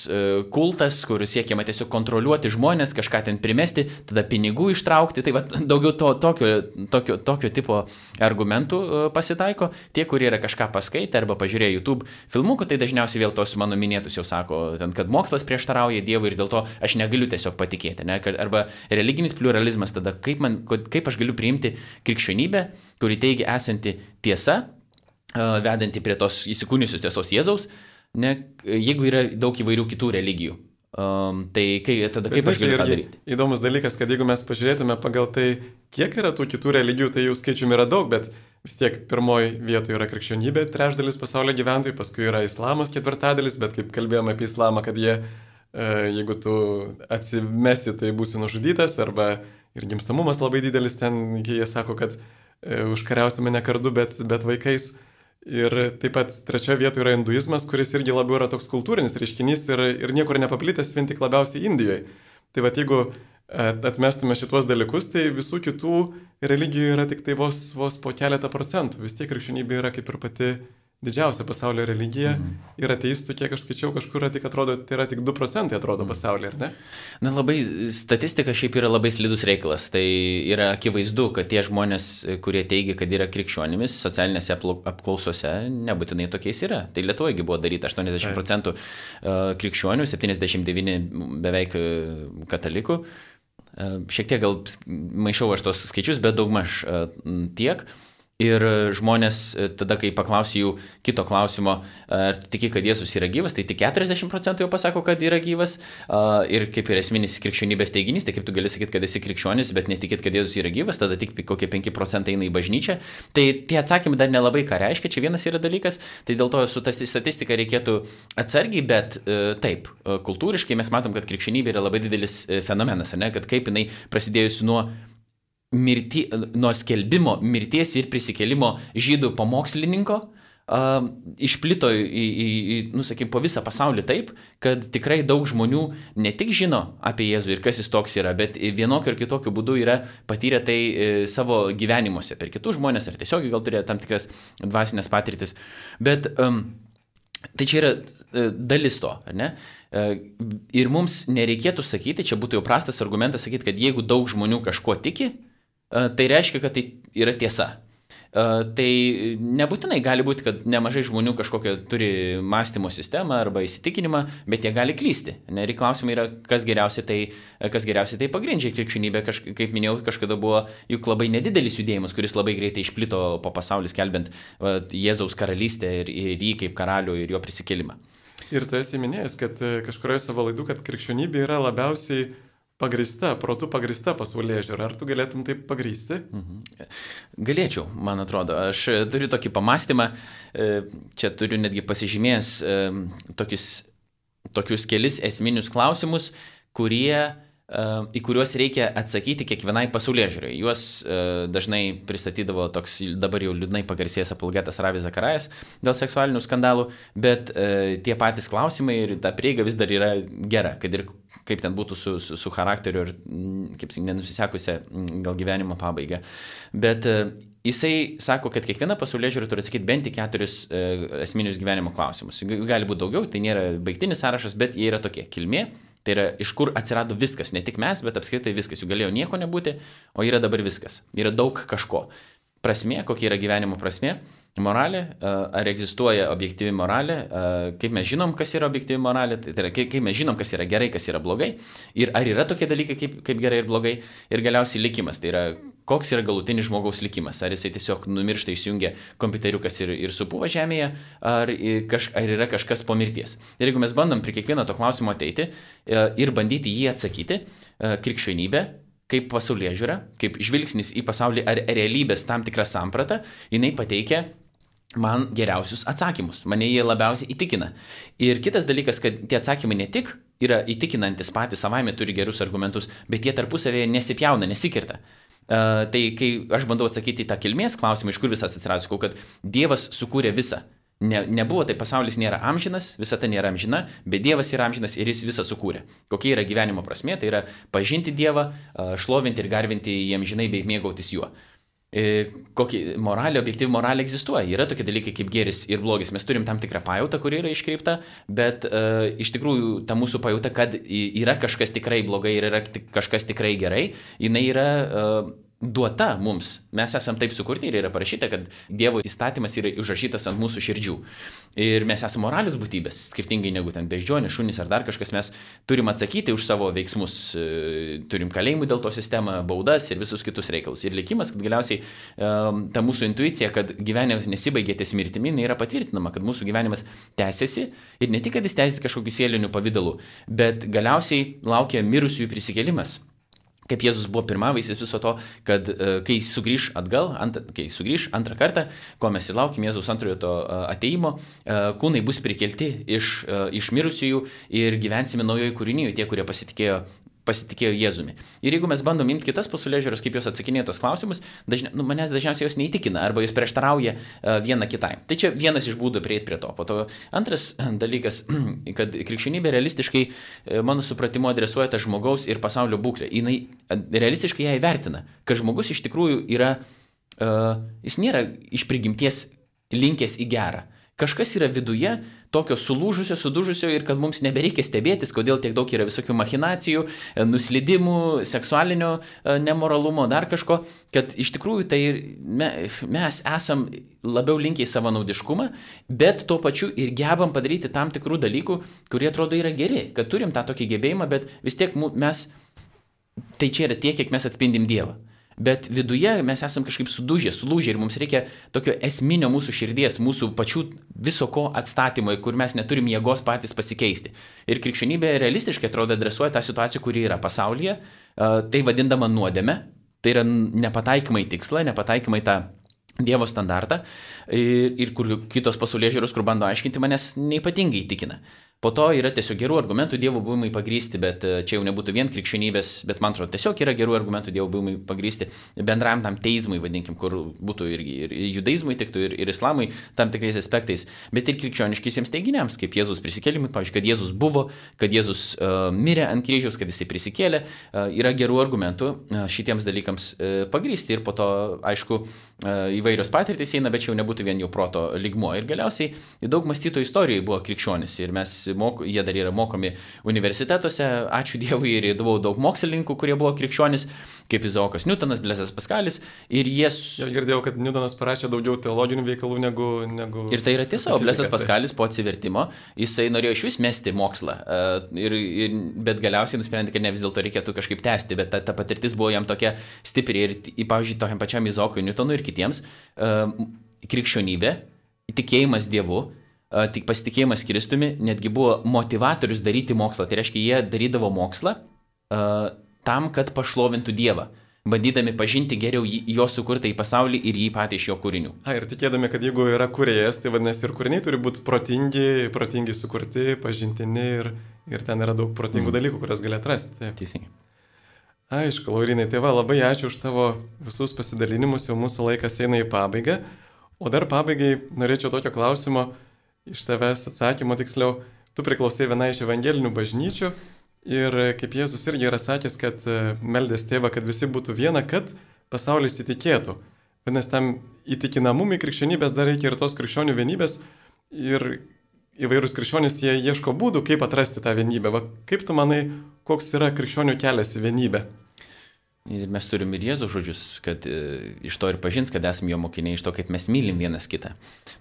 kultas, kur siekiama tiesiog kontroliuoti žmonės, kažką ten primesti, tada pinigų ištraukti, tai va, daugiau to, tokio, tokio, tokio tipo argumentų pasitaiko, tie, kurie yra kažką paskaitę arba pažiūrėję YouTube filmukų, tai dažniausiai vėl tos mano minėtus jau sako, ten, kad mokslas prieštarauja Dievui ir dėl to aš negaliu tiesiog patikėti, ne? Arba religinis pluralizmas, tada kaip, man, kaip aš galiu priimti krikščionybę, kuri teigia esanti tiesa, vedanti prie tos įsikūniusios tiesos Jėzaus, ne, jeigu yra daug įvairių kitų religijų. Um, tai kai, tada kaip aš galiu tą daryti?
Įdomus dalykas, kad jeigu mes pažiūrėtume pagal tai, kiek yra tų kitų religijų, tai jų skaičiumi yra daug, bet vis tiek pirmoji vietoje yra krikščionybė, trečdalis pasaulio gyventojų, paskui yra islamas ketvirtadalis, bet kaip kalbėjome apie islamą, kad jie, jeigu tu atsimesi, tai būsi nužudytas, arba ir gimstamumas labai didelis ten, jie sako, kad e, užkariausime ne kardu, bet, bet vaikais. Ir taip pat trečioje vietoje yra hinduizmas, kuris irgi labiau yra toks kultūrinis reiškinys ir, ir niekur nepaplitęs, vien tik labiausiai Indijoje. Tai va, jeigu atmestume šituos dalykus, tai visų kitų religijų yra tik tai vos, vos po keletą procentų. Vis tiek krikščionybė yra kaip ir pati didžiausia pasaulio religija. Mhm. Ir ateistų, kiek aš skaičiau, kažkur tik atrodo, tai yra tik du procentai atrodo mhm. pasaulyje, ar ne?
Na labai, statistika šiaip yra labai slidus reikalas. Tai yra akivaizdu, kad tie žmonės, kurie teigia, kad yra krikščionimis, socialinėse apklausose nebūtinai tokiais yra. Tai Lietuvoje buvo daryta aštuoniasdešimt procentų krikščionių, septyniasdešimt devyni beveik katalikų. Šiek tiek gal maišau aš tos skaičius, bet daugmaž tiek. Ir žmonės, tada, kai paklausiu jų kito klausimo, ar tu tiki, kad Jėzus yra gyvas, tai tik keturiasdešimt procentų jau pasako, kad yra gyvas. Ir kaip ir esminis krikščionybės teiginys, tai kaip tu gali sakyti, kad esi krikščionis, bet netikėt, kad Jėzus yra gyvas, tada tik kokie penki procentai eina į bažnyčią. Tai tie atsakymai dar nelabai ką reiškia, čia vienas yra dalykas, tai dėl to su ta statistika reikėtų atsargiai, bet taip, kultūriškai mes matom, kad krikščionybė yra labai didelis fenomenas, ne? Kad kaip jinai prasidėjusi nuo mirti, nuo skelbimo mirties ir prisikėlimo žydų pamokslininko Uh, išplito į, į, į, nu, sakykim, po visą pasaulį taip, kad tikrai daug žmonių ne tik žino apie Jėzų ir kas jis toks yra, bet vienokiu ir kitokiu būdu yra patyrę tai e, savo gyvenimuose per kitus žmonės, ar tiesiog gal turėjo tam tikras dvasinės patirtis. Bet um, tai čia yra e, dalis to, ar ne? E, ir mums nereikėtų sakyti, čia būtų jau prastas argumentas sakyti, kad jeigu daug žmonių kažkuo tiki, e, tai reiškia, kad tai yra tiesa. Uh, tai nebūtinai gali būti, kad nemažai žmonių kažkokią turi mąstymo sistemą arba įsitikinimą, bet jie gali klysti. Ne, ir klausimai yra, kas geriausiai tai, kas geriausiai tai pagrindžia. Krikščionybė, kaž, kaip minėjau, kažkada buvo juk labai nedidelis judėjimas, kuris labai greitai išplito po pasaulį, skelbiant uh, Jėzaus karalystę ir, ir jį kaip karalių ir jo prisikėlimą.
Ir tu esi minėjęs, kad kažkurioje savo laidų, kad krikščionybė yra labiausiai pagrįsta, protų pagrįsta pasaulėžiūra. Ar tu galėtum taip pagrįsti?
Mhm. Galėčiau, man atrodo. Aš turiu tokį pamastymą, čia turiu netgi pasižymėjęs tokius, tokius kelis esminius klausimus, kurie, į kuriuos reikia atsakyti kiekvienai pasaulėžiūrai. Juos dažnai pristatydavo toks dabar jau liūdnai pagarsėjęs apologetas Ravi Zacharias dėl seksualinių skandalų, bet tie patys klausimai ir ta prieiga vis dar yra gera, kad ir kaip ten būtų su, su, su charakteriu ir, kaip sakyt, nenusisekusią gal gyvenimo pabaigą. Bet jisai sako, kad kiekviena pasaulėžiūra turi atsakyti bent į keturis esminius gyvenimo klausimus. Gali būti daugiau, tai nėra baigtinis sąrašas, bet jie yra tokie: kilmė, tai yra iš kur atsirado viskas, ne tik mes, bet apskritai viskas. Jų galėjo nieko nebūti, o yra dabar viskas. Yra daug kažko. Prasmė, kokia yra gyvenimo prasmė. Moralė, ar egzistuoja objektyvi moralė, kaip mes žinom, kas yra objektyvi moralė, tai yra kaip mes žinom, kas yra gerai, kas yra blogai, ir ar yra tokie dalykai kaip, kaip gerai ir blogai, ir galiausiai likimas, tai yra koks yra galutinis žmogaus likimas, ar jisai tiesiog numiršta, išjungia kompiuteriukas ir, ir supūva žemėje, ar, kaž, ar yra kažkas po mirties. Ir jeigu mes bandom prie kiekvieno to klausimo ateiti ir bandyti jį atsakyti, krikščionybė, kaip pasaulėžiūra, kaip žvilgsnis į pasaulį ar realybės tam tikrą sampratą, jinai pateikia man geriausius atsakymus, mane jie labiausiai įtikina. Ir kitas dalykas, kad tie atsakymai ne tik yra įtikinantis patys savaime, turi gerus argumentus, bet jie tarpusavėje nesipjauna, nesikirta. Uh, tai kai aš bandau atsakyti į tą kilmės klausimą, iš kur visas atsirado, sakau, kad Dievas sukūrė visą. Ne, nebuvo, tai pasaulis nėra amžinas, visata nėra amžina, bet Dievas yra amžinas ir jis visą sukūrė. Kokia yra gyvenimo prasmė, tai yra pažinti Dievą, šlovinti ir garbinti jį amžinai bei mėgautis juo. Kokia moralė, objektyvi moralė egzistuoja. Yra tokie dalykai kaip gėris ir blogis. Mes turim tam tikrą pajautą, kuri yra iškreipta, bet uh, iš tikrųjų ta mūsų pajauta, kad yra kažkas tikrai blogai ir yra kažkas tikrai gerai, jinai yra uh, duota mums. Mes esam taip sukurti ir yra parašyta, kad Dievo įstatymas yra užrašytas ant mūsų širdžių. Ir mes esame moralios būtybės, skirtingai negu ten beždžionės, šunys ar dar kažkas. Mes turim atsakyti už savo veiksmus, turim kalėjimų dėl to sistemą, baudas ir visus kitus reikalus. Ir likimas, kad galiausiai ta mūsų intuicija, kad gyvenimas nesibaigė ties mirtimi, yra patvirtinama, kad mūsų gyvenimas tęsiasi ir ne tik, kad jis tęsiasi kažkokiu sieliniu pavidalu, bet galiausiai laukia mirusiųjų prisikėlimas. Kaip Jėzus buvo pirmavaisis viso to, kad uh, kai jis sugrįž atgal, ant, kai jis sugrįž antrą kartą, ko mes ir laukim Jėzus antrojo to uh, ateimo, uh, kūnai bus prikelti iš, uh, iš mirusiųjų ir gyvensime naujoje kūrinyje, tie, kurie pasitikėjo, pasitikėjo Jėzumi. Ir jeigu mes bandom imti kitas pasaulėžiūras, kaip jos atsakinėja tos klausimus, dažnia, nu, manęs dažniausiai jos neįtikina arba jos prieštarauja uh, viena kitai. Tai čia vienas iš būdų prieiti prie to. Po to antras dalykas, kad krikščionybė realistiškai, mano supratimu, adresuoja tą žmogaus ir pasaulio būklę. Jinai realistiškai ją įvertina, kad žmogus iš tikrųjų yra, uh, jis nėra iš prigimties linkęs į gerą. Kažkas yra viduje tokio sulūžusio, sudužusio ir kad mums nebereikia stebėtis, kodėl tiek daug yra visokių machinacijų, nuslydimų, seksualinio nemoralumo, dar kažko, kad iš tikrųjų tai me, mes esam labiau linkę į savanaudiškumą, bet tuo pačiu ir gebam padaryti tam tikrų dalykų, kurie atrodo yra geri, kad turim tą tokį gebėjimą, bet vis tiek mes, tai čia yra tiek, kiek mes atspindim Dievą. Bet viduje mes esam kažkaip sudužę, sulūžę ir mums reikia tokio esminio mūsų širdies, mūsų pačių viso ko atstatymo, kur mes neturim jėgos patys pasikeisti. Ir krikščionybė realistiškai atrodo adresuoja tą situaciją, kuri yra pasaulyje, tai vadindama nuodėme, tai yra nepataikymai tikslą, nepataikymai tą Dievo standartą ir, ir kur kitos pasaulėžiūros, kur bando aiškinti, manęs neypatingai įtikina. Po to yra tiesiog gerų argumentų Dievo buvimui pagrysti, bet čia jau nebūtų vien krikščionybės, bet man atrodo, tiesiog yra gerų argumentų Dievo buvimui pagrysti bendram tam teizmui, vadinkim, kur būtų ir, ir judaizmui tiktų, ir, ir islamui tam tikrais aspektais, bet ir krikščioniškiesiems teiginiams, kaip Jėzus prisikėlimui, pavyzdžiui, kad Jėzus buvo, kad Jėzus uh, mirė ant kryžiaus, kad jisai prisikėlė, uh, yra gerų argumentų uh, šitiems dalykams uh, pagrysti ir po to, aišku, uh, įvairios patirtys eina, bet čia jau nebūtų vien jau proto lygmuo. Ir galiausiai daug mąstytojų istorijoje buvo krikščionis ir mes Mok, jie dar yra mokomi universitetuose, ačiū Dievui, ir įdavau daug mokslininkų, kurie buvo krikščionis, kaip Izaokas Niutonas, Blezas Paskalis, ir jie...
Jau girdėjau, kad Niutonas parašė daugiau teologinių veikalų negu... negu
ir tai yra tiesa, Blezas Paskalis po atsivertimo, jisai norėjo iš vis mesti mokslą, ir, ir, bet galiausiai nusprendė, kad ne vis dėlto reikėtų kažkaip tęsti, bet ta, ta patirtis buvo jam tokia stipri ir, pavyzdžiui, tokiam pačiam Izaokui Niutonui ir kitiems, krikščionybė, tikėjimas Dievu, tik pasitikėjimas Kristumi netgi buvo motivatorius daryti mokslą. Tai reiškia, jie darydavo mokslą uh, tam, kad pašlovintų Dievą, bandydami pažinti geriau jo sukurtą į pasaulį ir jį patį iš jo kūrinių.
A, ir tikėdami, kad jeigu yra kūrėjas, tai vadinasi ir kūriniai turi būti protingi, protingi sukurti, pažintini ir, ir ten yra daug protingų mm. dalykų, kurias gali atrasti. Taip.
Teisingai.
Aišku, Laurinai, tai va, labai ačiū už tavo visus pasidalinimus, jau mūsų laikas eina į pabaigą. O dar pabaigai norėčiau tokio klausimo, iš tavęs atsakymo tiksliau, tu priklausai vienai iš evangelinių bažnyčių ir kaip Jėzus irgi yra sakęs, kad meldės tėvą, kad visi būtų viena, kad pasaulis įtikėtų. Vienas tam įtikinamumui krikščionybės dar reikia ir tos krikščionių vienybės ir įvairūs krikščionys jie ieško būdų, kaip atrasti tą vienybę. Va, kaip tu manai, koks yra krikščionių kelias į vienybę?
Ir mes turim ir Jėzų žodžius, kad e, iš to ir pažins, kad esame jo mokiniai, iš to, kaip mes mylim vienas kitą.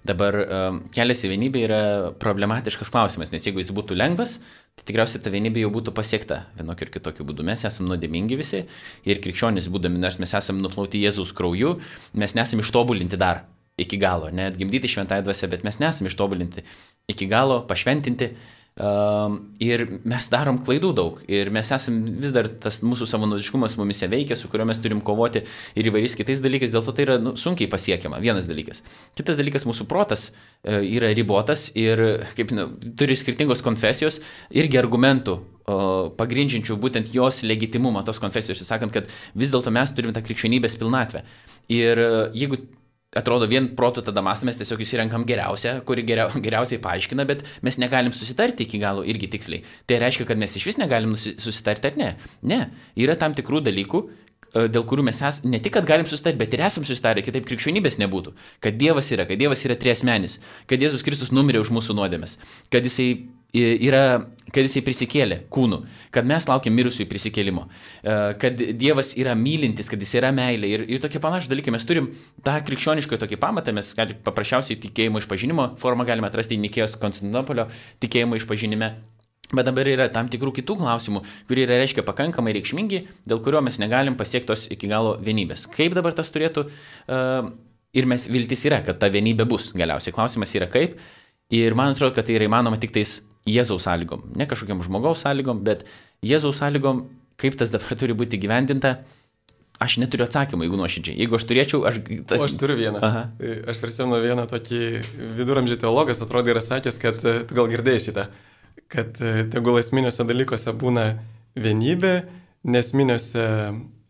Dabar e, kelias į vienybę yra problematiškas klausimas, nes jeigu jis būtų lengvas, tai tikriausiai ta vienybė jau būtų pasiekta vienokiu ir kitokiu būdu. Mes esame nuodėmingi visi ir krikščionys būdami, nors mes esame nuplauti Jėzaus krauju, mes nesame ištobulinti dar iki galo, net gimdyti šventąją dvasią, bet mes nesame ištobulinti iki galo, pašventinti. Um, ir mes darom klaidų daug ir mes esam vis dar tas mūsų savanaudiškumas mumise veikia, su kuriuo mes turim kovoti ir įvairiais kitais dalykais, dėl to tai yra nu, sunkiai pasiekiama, vienas dalykas. Kitas dalykas, mūsų protas e, yra ribotas ir kaip, nu, turi skirtingos konfesijos irgi argumentų o, pagrindžiančių būtent jos legitimumą, tos konfesijos, sakant, kad vis dėlto mes turime tą krikščionybės pilnatvę. Ir e, jeigu atrodo, vien protų tada mąstame, mes tiesiog įsirenkam geriausią, kuri geriau, geriausiai paaiškina, bet mes negalim susitarti iki galo irgi tiksliai. Tai reiškia, kad mes iš vis negalim susitarti ar ne. Ne, yra tam tikrų dalykų, dėl kurių mes es, ne tik, kad galim susitarti, bet ir esam susitarę, kitaip krikščionybės nebūtų. Kad Dievas yra, kad Dievas yra triasmenis, kad Jėzus Kristus numirė už mūsų nuodėmes, kad jisai yra, kad jisai prisikėlė kūnu, kad mes laukiam mirusiųjų prisikėlimo, kad Dievas yra mylintis, kad jis yra meilė ir, ir tokie panašus dalykai. Mes turim tą krikščionišką tokį pamatą, mes gali, paprasčiausiai tikėjimo išpažinimo formą galime atrasti Nikėjos Konstantinopolio tikėjimo išpažinime. Bet dabar yra tam tikrų kitų klausimų, kurie yra, reiškia, pakankamai reikšmingi, dėl kurio mes negalim pasiekti tos iki galo vienybės. Kaip dabar tas turėtų, uh, ir mes viltis yra, kad ta vienybė bus galiausiai. Klausimas yra kaip, ir man atrodo, kad tai yra įmanoma tik tais Jėzaus sąlygom. Ne kažkokiam žmogaus sąlygom, bet Jėzaus sąlygom, kaip tas dabar turi būti gyvendinta. Aš neturiu atsakymą, jeigu nuoširdžiai. Jeigu aš turėčiau, aš...
O aš turiu vieną. Aha. Aš prisimenu vieną tokį viduramžių teologas, atrodo, yra sakęs, kad tu gal girdėjai šitą, kad tegul esminiuose dalykuose būna vienybė, nesminiuose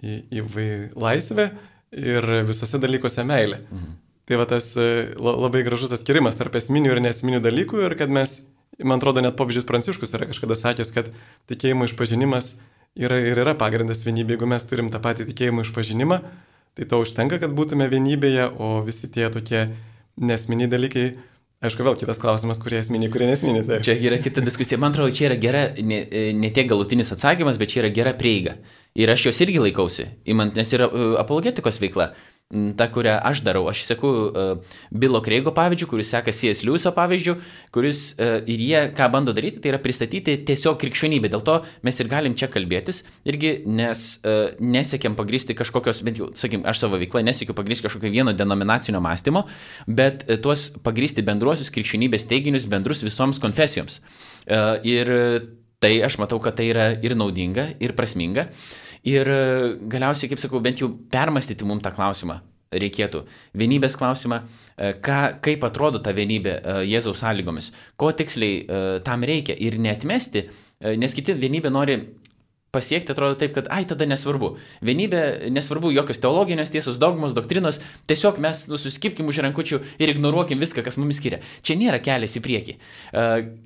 į, į laisvę ir visose dalykuose meilė. Mhm. Tai va tas labai gražus atskirimas tarp esminių ir nesminių dalykų ir kad mes, man atrodo, net popiežius Pranciškus yra kažkada sakęs, kad tikėjimo išpažinimas yra ir yra pagrindas vienybė. Jeigu mes turim tą patį tikėjimo išpažinimą, tai to užtenka, kad būtume vienybėje, o visi tie tokie nesminiai dalykai, aišku, vėl kitas klausimas, kurie esminiai, kurie nesminiai. Tai.
Čia yra kita diskusija. Man atrodo, čia yra gera, ne, ne tiek galutinis atsakymas, bet čia yra gera prieiga. Ir aš jos irgi laikausi, imant, nes yra apologetikos veikla. Ta, kurią aš darau. Aš seku uh, Bilo Kreigo pavyzdžių, kuris seka C S Lewiso pavyzdžių, kuris uh, ir jie, ką bando daryti, tai yra pristatyti tiesiog krikščionybę. Dėl to mes ir galim čia kalbėtis, irgi, nes uh, nesiekiam pagrysti kažkokios, bent jau, sakykim, aš savo veiklą nesiekiu pagrysti kažkokio vieno denominacinio mąstymo, bet uh, tuos pagrysti bendruosius krikščionybės teiginius bendrus visoms konfesijoms. Uh, ir tai aš matau, kad tai yra ir naudinga, ir prasminga. Ir galiausiai, kaip sakau, bent jau permastyti mums tą klausimą. reikėtų. Vienybės klausimą, ką, kaip atrodo ta vienybė Jėzaus sąlygomis, ko tiksliai tam reikia ir neatmesti, nes kiti vienybę nori pasiekti, atrodo taip, kad ai, tada nesvarbu. Vienybė, nesvarbu jokios teologinės tiesos, dogmos, doktrinos, tiesiog mes nu, suskipkim už rankučių ir ignoruokim viską, kas mumis skiria. Čia nėra kelias į priekį.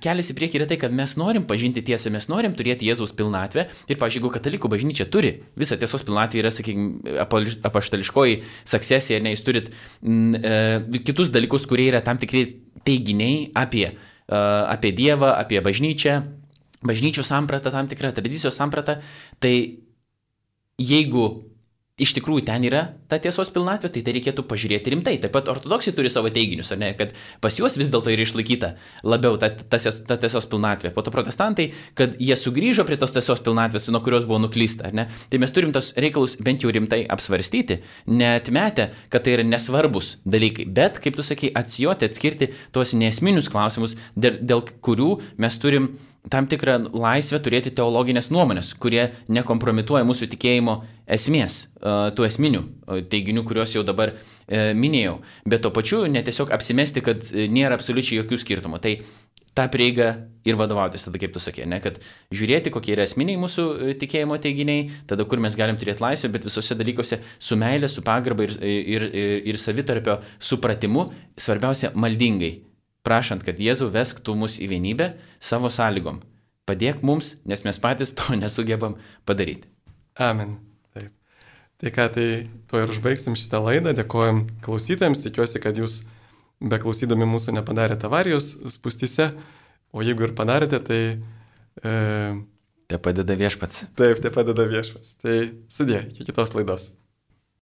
Kelias į priekį yra tai, kad mes norim pažinti tiesą, mes norim turėti Jėzaus pilnatvę ir, pavyzdžiui, jeigu katalikų bažnyčia turi, visa tiesos pilnatvė yra, sakykime, apaštališkoji saksesija, ne, jūs turit m, e, kitus dalykus, kurie yra tam tikri teiginiai apie, e, apie Dievą, apie bažnyčią, bažnyčių sampratą, tam tikrą tradicijos sampratą, tai jeigu iš tikrųjų ten yra ta tiesos pilnatvė, tai tai reikėtų pažiūrėti rimtai. Taip pat ortodoksai turi savo teiginius, ar ne, kad pas juos vis dėlto yra išlaikyta labiau ta, ta, ta tiesos pilnatvė. Po to protestantai, kad jie sugrįžo prie tos tiesos pilnatvės, nuo kurios buvo nuklysta, ar ne. Tai mes turim tos reikalus bent jau rimtai apsvarstyti, neatmetę, kad tai yra nesvarbus dalykai, bet, kaip tu sakai, atsijoti, atskirti tuos nesminius klausimus, dėl, dėl kurių mes turim tam tikrą laisvę turėti teologinės nuomonės, kurie nekompromituoja mūsų tikėjimo esmės, tų esminių teiginių, kuriuos jau dabar minėjau. Bet to pačiu netiesiog apsimesti, kad nėra absoliučiai jokių skirtumų. Tai tą prieigą ir vadovautis, tada kaip tu sakė, ne, kad žiūrėti, kokie yra esminiai mūsų tikėjimo teiginiai, tada kur mes galim turėti laisvę, bet visose dalykuose su meilė, su pagarba ir, ir, ir, ir savitarpio supratimu, svarbiausia maldingai. Prašant, kad Jėzau vesktų mus į vienybę savo sąlygom. Padėk mums, nes mes patys to nesugebam padaryti.
Amen. Taip. Tai ką, tai tuo ir užbaigsim šitą laidą. Dėkojom klausytojams. Tikiuosi, kad jūs beklausydami mūsų nepadarėte avarijos spūstyse. O jeigu ir padarėte, tai... E...
Te padeda viešpats.
Taip, te padeda viešpats. Tai sudė, iki kitos laidos.